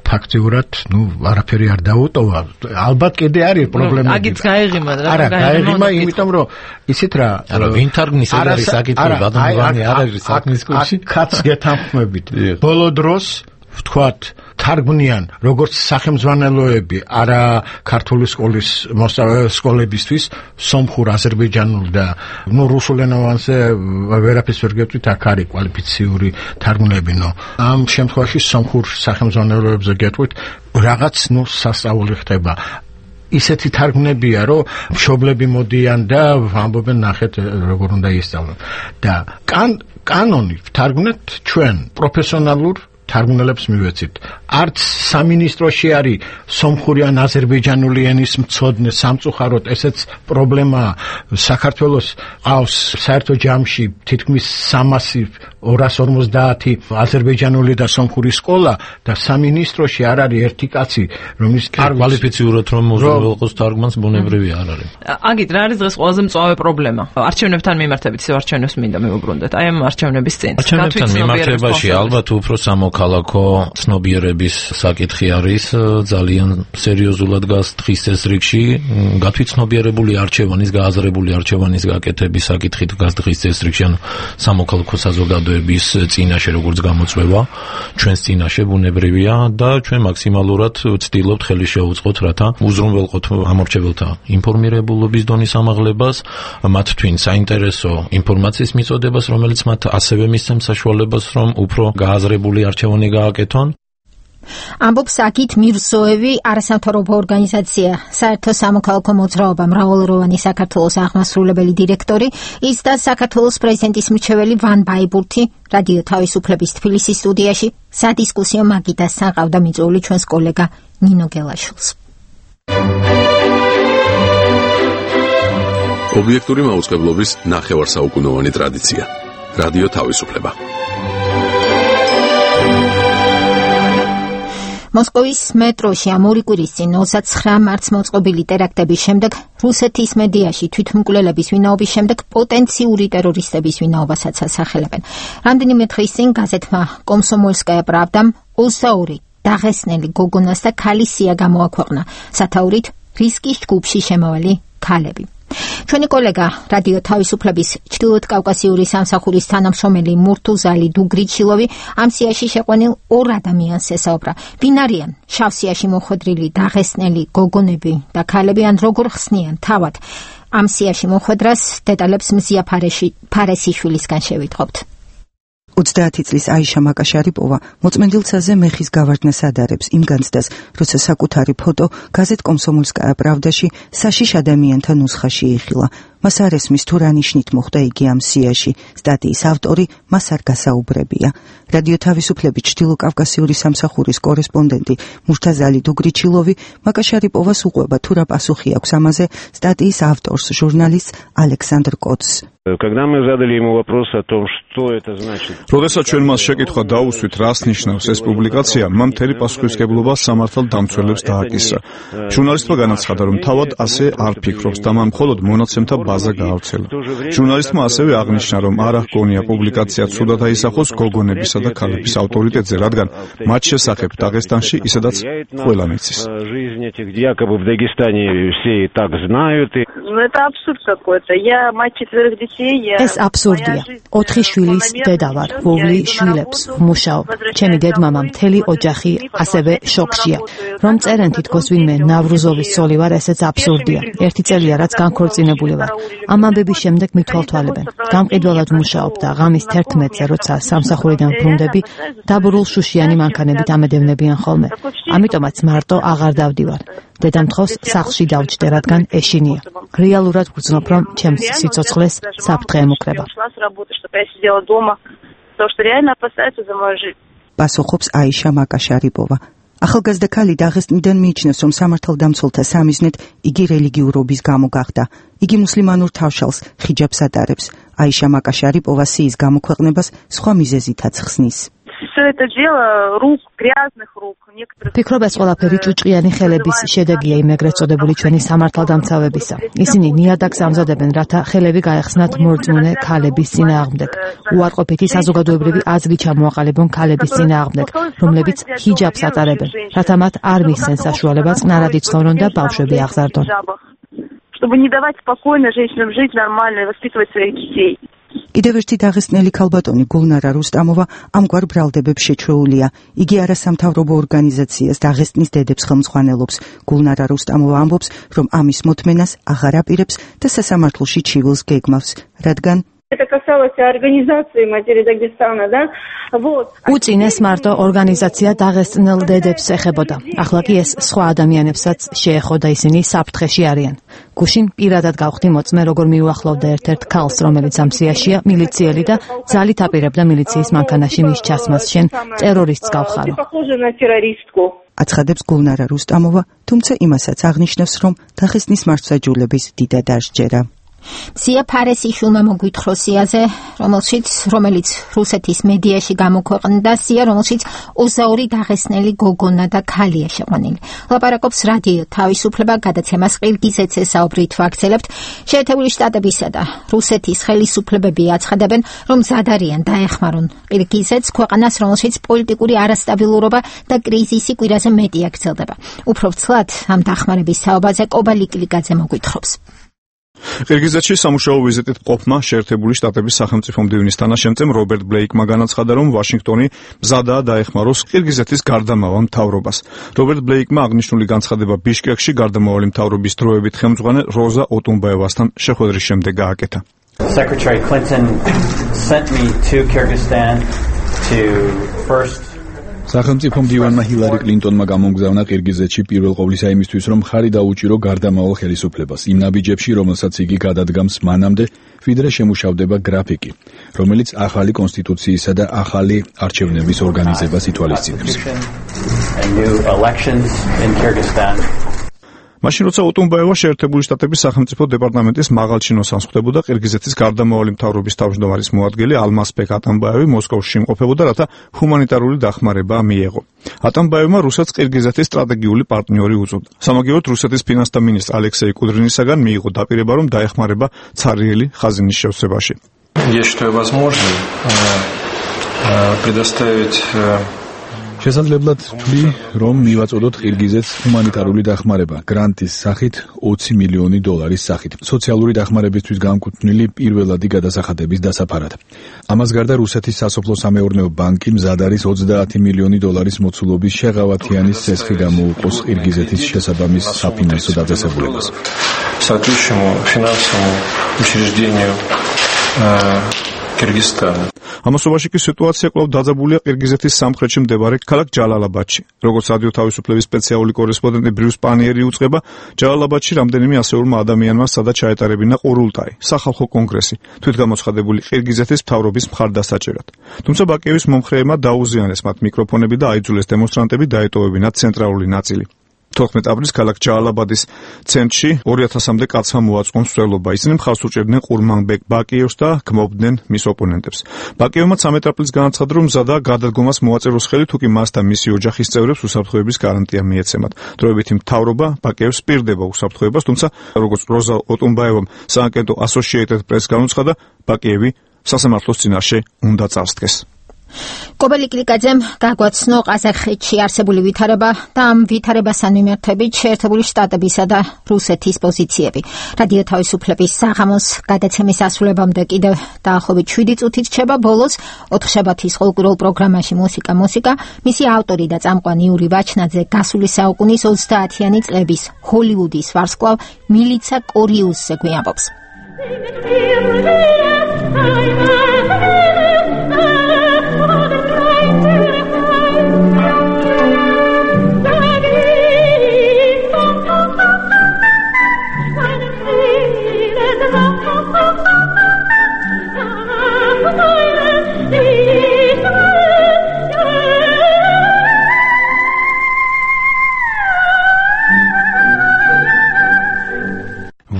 ფაქტიურად, ნუ არაფერი არ დაუტოვა. ალბათ კიდე არის პრობლემები. აგიც გაეღიმა რა. არა, გაეღიმა, იმიტომ რომ ისეთ რა. არა, ვინ თარგმნის ეს არის საკითხი, ბატონოვანი არ არის საქმის კურსში. კაც გეთანხმებით. ბოლო დროს ვთქვათ, თარგმნიან როგორც სახელმძღვანელოები, არა ქართული სკოლის სკოლებისთვის, სომხურ, აზერბაიჯანულ და ნუ რუსულენოვანზე ვერაფერს ვერ გეტყვით, აქ არის კვალიფიციური თარგმნებინო. ამ შემთხვევაში სომხურ სახელმძღვანელოებზე გეტყვით, რაღაც ნუ სასწაული ხდება. ისეთი თარგმნებია, რომ მშობლები მოდიან და ამბობენ, ნახეთ, როგორ უნდა ისწავლონ. და კანონი ვთარგმნეთ ჩვენ პროფესიონალურ თარგმნელებს მივეცით. არც სამინისტროში არის სომხური ან აზერბაიჯანული ენის მცოდნე სამწუხაროდ, ესეც პრობლემაა. საქართველოს ყავს საერთო ჯამში თითქმის სამასი ორას ორმოცდაათი აზერბაიჯანული და სომხური სკოლა და სამინისტროში არ არის ერთი კაცი, რომლის კვალიფიციურად რომ უზრუნველყოს თარგმანს ბუნებრივი არ არის. აგით რა არის დღეს ყველაზე მწვავე პრობლემა? არჩევნებთან მიმართებით ისევ არჩევნებს მინდა მივუბრუნდეთ. აი ამ არჩევნების წინ. არჩევნებთან მიმართებაში ალბათ უფრო სამოქალაქო ცნობიერების საკითხი არის ძალიან სერიოზულად დგას დღის წესრიგში. გათვითცნობიერებული არჩევანის, გააზრებული არჩევანის გაკეთების საკითხი დგას დღის წესრიგში, ანუ სამოქალაქო საზოგადოების წინაშე როგორც გამოწვევა, ჩვენს წინაშე ბუნებრივია და ჩვენ მაქსიმალურად ვცდილობთ ხელი შევუწყოთ, რათა უზრუნველყოთ ამორჩეველთა ინფორმირებულობის დონის ამაღლებას, მათ თვინ საინტერესო ინფორმაციის მიწოდებას, რომელიც მათ ასევე მისცემს საშუალებას, რომ უფრო გააზრებული არჩევანი გააკეთონ. ამბობს აგით მირზოევი, არასამთავრობო ორგანიზაცია საერთო სამოქალაქო მოძრაობა მრავალროვანი საქართველოს აღმასრულებელი დირექტორი, ის და საქართველოს პრეზიდენტის მრჩეველი ვან ბაიბურთი რადიო თავისუფლების თბილისის სტუდიაში სადისკუსიო მაგიდასთან ყავდა მიწვეული ჩვენს კოლეგა ნინო გელაშვილს. ობიექტური მაუწყებლობის ნახევარსაუკუნოვანი ტრადიცია. რადიო თავისუფლება. მოსკოვის მეტროში ამ ორი კვირის წინ ოცდაცხრა მარტს მოწყობილი ტერაქტების შემდეგ რუსეთის მედიაში თვითმკვლელების ვინაობის შემდეგ პოტენციური ტერორისტების ვინაობასაც ასახელებენ. რამდენიმე დღის წინ გაზეთმა კომსომოლსკაია პრავდამ ოცდაორი დაღესტნელი გოგონას და ქალის სია გამოაქვეყნა სათაურით რისკის ჯგუფში შემავალი ქალები. ჩვენი კოლეგა რადიო თავისუფლების ჩრდილოეთ კავკასიური სამსახურის თანამშრომელი მურტუზალი დუგრიჩილოვი ამ სიაში შეყვანილ ორ ადამიანს ესაუბრა. ვინ არიან შავ სიაში მოხვედრილი დაღესტნელი გოგონები და ქალები, ან როგორ ხსნიან თავად ამ სიაში მოხვედრას, დეტალებს მზია ფარესიშვილისგან შევიტყობთ. ოცდაათი წლის აიშა მაკაშარიპოვა მოწმენდილცაზე მეხის გავარდნას ადარებს იმ განცდას, როცა საკუთარი ფოტო გაზეთ კომსომოლსკაია პრავდაში საშიშ ადამიანთა ნუსხაში იხილა. მას არ ესმის თუ რა ნიშნით მოხდა იგი ამ სიაში. სტატიის ავტორი მას არ გასაუბრებია. რადიო თავისუფლების ჩრდილოკავკასიური სამსახურის კორესპონდენტი მურტაზალი დუგრიჩილოვი მაკაშარიპოვას უყვება თუ რა პასუხი აქვს ამაზე სტატიის ავტორს, ჟურნალისტ ალექსანდრ კოც. Когда мы задали ему вопрос о том, что это значит. როდესაც ჩვენ მას შეკითხვა დაუსვით, რას ნიშნავს ეს პუბლიკაცია, მან მთელი პასუხისმგებლობა სამართალ დამცველებს დააკისრა. ჟურნალისტმა განაცხადა, რომ თავად ასე არ ფიქრობს და მან მხოლოდ მონაცემთა ბაზა გაავრცელა. ჟურნალისტმა ასევე აღნიშნა, რომ არ აღგონია პუბლიკაცია ცუდად აისახოს გოგონებისა და ქალების ავტორიტეტზე, რადგან მათ შესახებ დაღესტანში ისედაც ყველამ იცის. Это абсурд какой-то. Я мать четверых детей. ეს აბსურდია. ოთხი შვილის დედა ვარ, ვოვლი შვილებს ვმუშაობ. ჩემი დედმამა მთელი ოჯახი ასევე შოქშია. რომ წერენ თითქოს ვინმე ნავრუზოვის ცოლი ვარ, ესეც აბსურდია. ერთი წელია რაც განქორწინებული ვარ. ამ ამბების შემდეგ მithვალთვალებენ. გამყიდველად მუშაობ და ღამის თერთმეტზე როცა სამსახურიდან ბრუნდები, დაბურულ შუშიანი მანქანებით ამედევნებიან ხოლმე. ამიტომაც მარტო აღარ დავდივარ. დედამთხოვს სახლში დავჯდე, რადგან ეშინია. რეალურად ვგრძნობ, რომ ჩემს სიცოცხლეს საფრთხე ემუქრება. პასუხობს აიშა მაკაშარიპოვა. ახალგაზრდა ქალი დაღესტნიდან მიიჩნევს, რომ სამართალდამცველთა სამიზნედ იგი რელიგიურობის გამო გახდა. იგი მუსლიმანურ თავშალს ხიჯაბს ატარებს. აიშა მაკაშარიპოვა სიის გამოქვეყნებას სხვა მიზეზითაც ხსნის. ფიქრობ ეს ყველაფერი ჭუჭყიანი ხელების შედეგია იმ ეგრეთ წოდებული ჩვენი სამართალდამცავებისა. ისინი ნიადაგს ამზადებენ, რათა ხელები გაეხსნათ მორწმუნე ქალების წინააღმდეგ. უარყოფითი საზოგადოებრივი აზრი ჩამოაყალიბონ ქალების წინააღმდეგ, რომლებიც ჰიჯაბს ატარებენ, რათა მათ არ მისცენ საშუალება წყნარად იცხოვრონ და ბავშვები აღზარდონ. Чтобы не давать спокойно женщинам жить нормально и воспитывать своих детей. კიდევ ერთი დაღესტნელი ქალბატონი გულნარა რუსტამოვა ამგვარ ბრალდებებს შეჩვეულია. იგი არასამთავრობო ორგანიზაციას დაღესტნის დედებს ხელმძღვანელობს. გულნარა რუსტამოვა ამბობს, რომ ამის მოთმენას აღარ აპირებს და სასამართლოში ჩივილს გეგმავს, რადგან Это касалось организации матери Дагестана, да? Вот. უწინეს მარტო ორგანიზაცია დაღესტნელ დედებს ეხებოდა. ახლა კი ეს სხვა ადამიანებსაც შეეხო და ისინი საფრთხეში არიან. გუშინ პირადად გავხდი მოწმე, როგორ მიუახლოვდა ერთ-ერთ ქალს, რომელიც ამ სიაშია, მილიციელი და ძალით აპირებდა მილიციის მანქანაში მის ჩასმას. შენ ტერორისტს გავხარო. აცხადებს გულნარა რუსტამოვა, თუმცა იმასაც აღნიშნავს, რომ დაღესტნის მართლმსაჯულების დიდად არ სჯერა. სია ფარესიშვილმა მოგვითხრა სიაზე, რომელშიც რომელიც რუსეთის მედიაში გამოქვეყნდა, სია რომელშიც ოცდაორი დაღესტნელი გოგონა და ქალია შეყვანილი. ლაპარაკობს რადიო თავისუფლება გადაცემას ყირგიზეთზე საუბრით ვაგრძელებთ. შეერთებული შტატებისა და რუსეთის ხელისუფლებები აცხადებენ, რომ მზად არიან დაეხმარონ ყირგიზეთს, ქვეყანას, რომელშიც პოლიტიკური არასტაბილურობა და კრიზისი კვირაზე მეტია გრძელდება. უფრო ვცლად ამ დახმარების საუბარზე კობა ლიკლიკაძე მოგვითხრობს. ყირგიზეთში სამუშაო ვიზიტით ყოფმა შეერთებული შტატების სახელმწიფო მდივნის თანაშემწემ რობერტ ბლეიკმა განაცხადა, რომ ვაშინგტონი მზადაა დაეხმაროს ყირგიზეთის გარდამავალ მთავრობას. რობერტ ბლეიკმა აღნიშნული განცხადება ბიშკეკში გარდამავალი მთავრობის დროებით ხელმძღვანელ როზა ოტუნბაევასთან შეხვედრის შემდეგ გააკეთა. Secretary Clinton sent me to Kyrgyzstan to first სახელმწიფო მდივანმა ჰილარი კლინტონმა გამოგზავნა ყირგიზეთში პირველ ყოვლისა იმისთვის, რომ ხარი დაუჭირო გარდამავალ ხელისუფლებას იმ ნაბიჯებში, რომელსაც იგი გადადგამს მანამდე, ვიდრე შემუშავდება გრაფიკი, რომელიც ახალი კონსტიტუციისა და ახალი არჩევნების ორგანიზებას ითვალისწინებს. მაშინ როცა ოტუნბაევა შეერთებული შტატების სახელმწიფო დეპარტამენტის მაღალჩინოს ანსხვდებოდა, ყირგიზეთის გარდამავალი მთავრობის თავმჯდომარის მოადგილე ალმასბეკ ატამბაევი მოსკოვში იმყოფებოდა, რათა ჰუმანიტარული დახმარება მიეღო. ატამბაევმა რუსეთს ყირგიზეთის სტრატეგიული პარტნიორი უწოდა. სამაგიეროდ რუსეთის ფინანსთა მინისტრ ალექსეი კუდრინისაგან მიიღო დაპირება, რომ დაეხმარება ცარიელი ხაზინის შევსებაში. Я считаю возможным предоставить შესაძლებლად ვთვლი, რომ მივაწოდოთ ყირგიზეთს ჰუმანიტარული დახმარება გრანტის სახით ოცი მილიონი დოლარის სახით, სოციალური დახმარებისთვის განკუთვნილი პირველადი გადასახადების დასაფარად. ამას გარდა რუსეთის სასოფლო-სამეურნეო ბანკი მზად არის ოცდაათი მილიონი დოლარის მოცულობის შეღავათიანის ცესხი გამოუყოს ყირგიზეთის შესაბამის საფინანსო დაწესებულებას. соответствующему финансовому учреждению Кыргызстана. ამასობაში კი სიტუაცია კვლავ დაძაბულია ყირგიზეთის სამხრეთში მდებარე ქალაქ ჯალალაბადში. როგორც რადიო თავისუფლების სპეციალური კორესპონდენტი ბრიუს პანიერი უწყება, ჯალალაბადში რამდენიმე ასეულმა ადამიანმა სადაც ჩაეტარებინა ყურულტაი, სახალხო კონგრესი, თვითგამოცხადებული ყირგიზეთის მთავრობის მხარდასაჭერად. თუმცა ბაკიევის მომხრეებმა დაუზიანეს მათ მიკროფონები და აიძულეს დემონსტრანტები დაეტოვებინათ ცენტრალური ნაწილი. თოთხმეტ აპრილს ქალაქ ჯალალაბადის ცენტრში ორი ათასამდე კაცმა მოაწყვონ მსვლელობა. ისინი მხარს უჭერდნენ ყურმანბეკ ბაკიევს და გმობდნენ მის ოპონენტებს. ბაკიევმა ცამეტ აპრილს განაცხადა, რომ მზადაა გადადგომას მოაწეროს ხელი, თუ კი მას და მისი ოჯახის წევრებს უსაფრთხოების გარანტია მიეცემათ. დროებითი მთავრობა ბაკიევს პირდება უსაფრთხოებას, თუმცა როგორც როზა ოტუნბაევამ სააგენტო Associated Press განუცხადა, ბაკიევი სასამართლოს წინაშე უნდა წარსდგეს. კობელი კლიკაძემ გაგვაცნო ყაზახეთში არსებული ვითარება და ამ ვითარებასთან მიმართებით შეერთებული შტატებისა და რუსეთის პოზიციები. რადიო თავისუფლების საღამოს გადაცემის ასრულებამდე კიდევ დაახლოებით შვიდი წუთით რჩება. ბოლოს ოთხშაბათის ყოველკვირეულ პროგრამაში მუსიკა მუსიკა მისი ავტორი და წამყვანი იური ვაჩნაძე გასული საუკუნის ოცდაათიანი წლების ჰოლივუდის ვარსკვლავ მილიცა კორიუსზე გვიამბობს.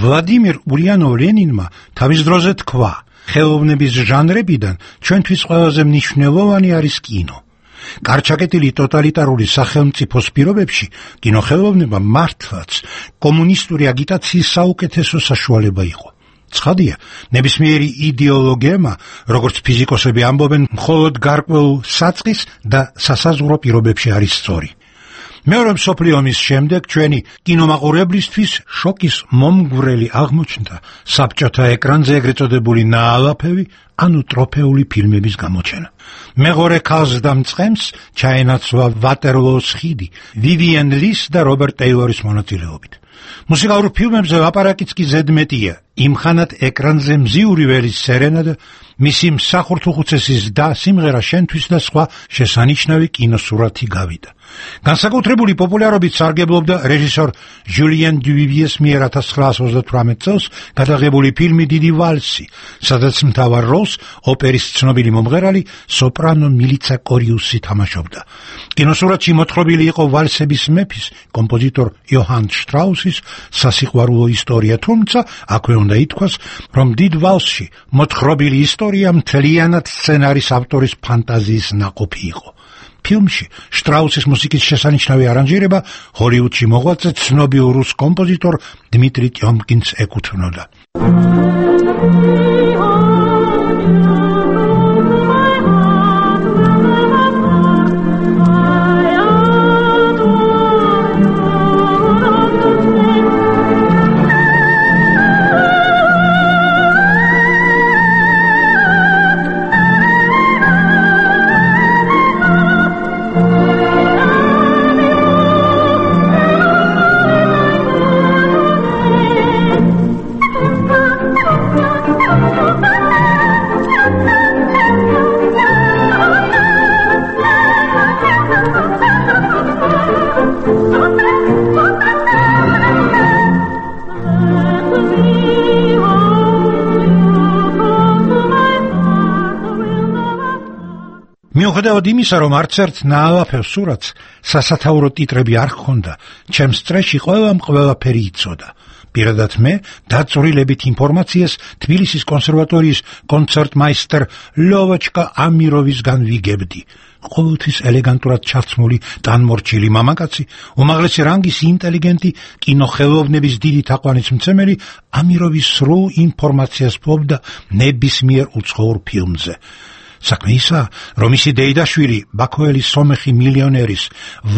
ვლადიმირ ულიანოვ-ლენინმა თავის დროზე თქვა, ხელოვნების ჟანრებიდან ჩვენთვის ყველაზე მნიშვნელოვანი არის კინო. გარჩაკეტილი ტოტალიტარული სახელმწიფოს პირობებში კინოხელოვნება მართლაც კომუნისტური აგიტაციის საუკეთესო საშუალება იყო. ცხადია, ნებისმიერი იდეოლოგიამა, როგორც ფიზიკოსები ამბობენ, მხოლოდ გარკვეულ საწყის და სასაზღვრო პირობებში არის სწორი. მეორე მსოფლიო ომის შემდეგ ჩვენი კინომაყურებლისთვის შოკის მომგვრელი აღმოჩნდა საბჭოთა ეკრანზე ეგრეთ წოდებული ნაალაფევი, ანუ ტროფეული ფილმების გამოჩენა. მეღორე ქალს და მწყემს ჩაენაცვლა ვატერლოოს ხიდი, ვივიენ ლის და რობერტ ტეილორის მონაწილეობით. მუსიკალურ ფილმებზე ლაპარაკიც კი ზედმეტია. იმხანად ეკრანზე მზიური ველის სერენა და მისი მსახურთუხუცესის და სიმღერა შენთვის და სხვა შესანიშნავი კინოსურათი გავიდა. განსაკუთრებული პოპულარობით სარგებლობდა რეჟისორ ჟულიან დუვივიეს მიერ ათას ცხრაას ოცდათვრამეტ წელს გადაღებული ფილმი დიდი ვალსი, სადაც მთავარ როლს ოპერის ცნობილი მომღერალი სოპრანო მილიცა კორიუსი თამაშობდა. კინოსურათში მოთხრობილი იყო ვალსების მეფის, კომპოზიტორ იოჰან შტრაუსის სასიყვარულო ისტორია, თუმცა აქვე უნდა ითქვას, რომ დიდ ვალსში მოთხრობილი ისტორია მთლიანად სცენარის ავტორის ფანტაზიის ნაყოფი იყო. ფილმში შტრაუსის მუსიკის შესანიშნავი არანჟირება ჰოლივუდში მოღვაწე ცნობილ რუს კომპოზიტორ დმიტრი ტიომკინს ეკუთვნოდა. მიუხედავად იმისა, რომ არც ერთ ნაალაფევ სურათს სასათაურო ტიტრები არ ჰქონდა, ჩემს წრეში ყველამ ყველაფერი იცოდა. პირადად მე დაწვრილებით ინფორმაციას თბილისის კონსერვატორიის კონცერტმაისტერ ლოვოჩკა ამიროვისგან ვიგებდი. ყოველთვის ელეგანტურად ჩაცმული ტანმორჩილი მამაკაცი, უმაღლესი რანგის ინტელიგენტი, კინოხელოვნების დიდი თაყვანისმცემელი ამიროვის სრულ ინფორმაციას ფლობდა ნებისმიერ უცხოურ ფილმზე. საქმე ისა, რომ ისი დეიდაშვილი, ბაქოელის სომეხი მილიონერის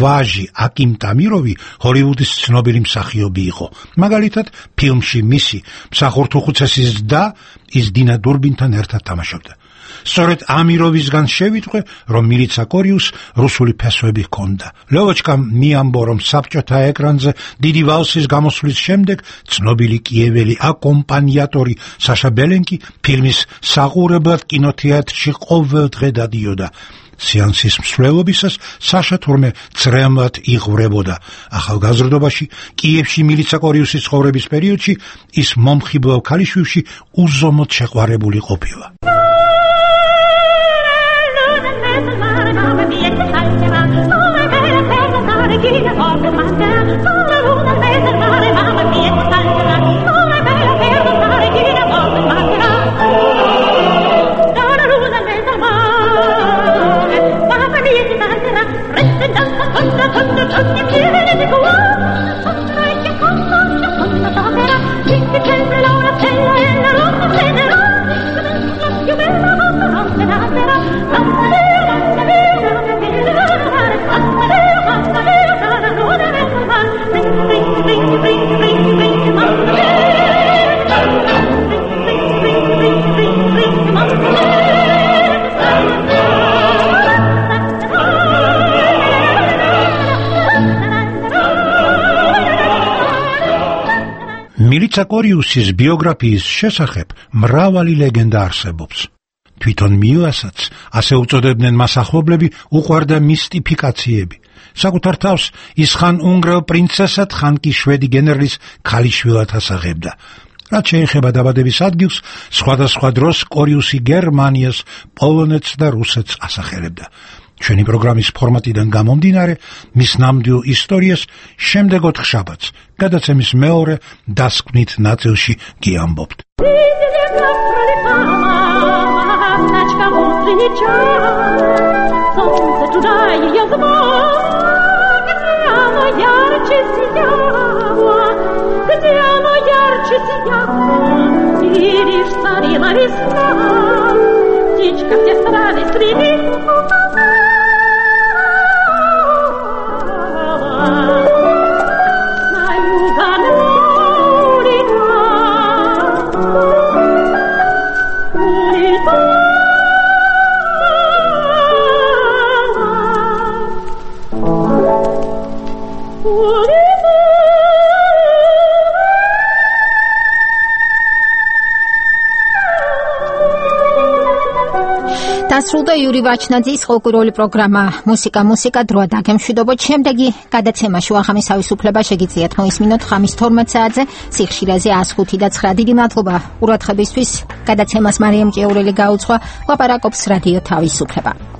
ვაჟი აკიმ ტამიროვი ჰოლივუდის ცნობილი მსახიობი იყო. მაგალითად, ფილმში მისი მსახურთუხუცესის და ის დინა დურბინთან ერთად თამაშობდა. სწორედ ამიროვისგან შევიტყვე, რომ მილიცა კორიუს რუსული ფესვები ჰქონდა. ლოვოჩკამ მიამბო, რომ საბჭოთა ეკრანზე დიდი ვალსის გამოსვლის შემდეგ ცნობილი კიეველი აკომპანიატორი საშა ბელენკი ფილმის საყურებლად კინოთეატრში ყოველ დღე დადიოდა. სეანსის მსვლელობისას საშა თურმე წრემლად იღვრებოდა. ახალგაზრდობაში კიევში მილიცა კორიუსის ცხოვრების პერიოდში ის მომხიბლავ ქალიშვილში უზომოდ შეყვარებული ყოფილა. Thank you. მილიცა კორიუსის ბიოგრაფიის შესახებ მრავალი ლეგენდა არსებობს. თვითონ მიუასაც ასე უწოდებდნენ მას ახლობლები უყვარდა მისტიფიკაციები. საკუთარ თავს ის ხან უნგრელ პრინცესად, ხან კი შვედი გენერლის ქალიშვილად ასაღებდა. რაც შეეხება დაბადების ადგილს, სხვადასხვა დროს კორიუსი გერმანიას, პოლონეთს და რუსეთს ასახელებდა. ჩვენი პროგრამის ფორმატიდან გამომდინარე, მის ნამდვილ ისტორიას შემდეგ ოთხშაბათს, გადაცემის მეორე დასკვნით ნაწილში გიამბობთ. დასრულდა იური ვაჩნაძის ხალხური პროგრამა მუსიკა მუსიკა დროა დაგემშვიდობოთ. შემდეგი გადაცემაში აღამის თავისუფლება შეგიძლიათ მოისმინოთ ხამის თორმეტ საათზე სიხშირეზე ას ხუთი და ცხრა. დიდი მადლობა ყურადღებისთვის. გადაცემას მარიამ ჭიაურელი გაუძღვა. ლაპარაკობს რადიო თავისუფლება.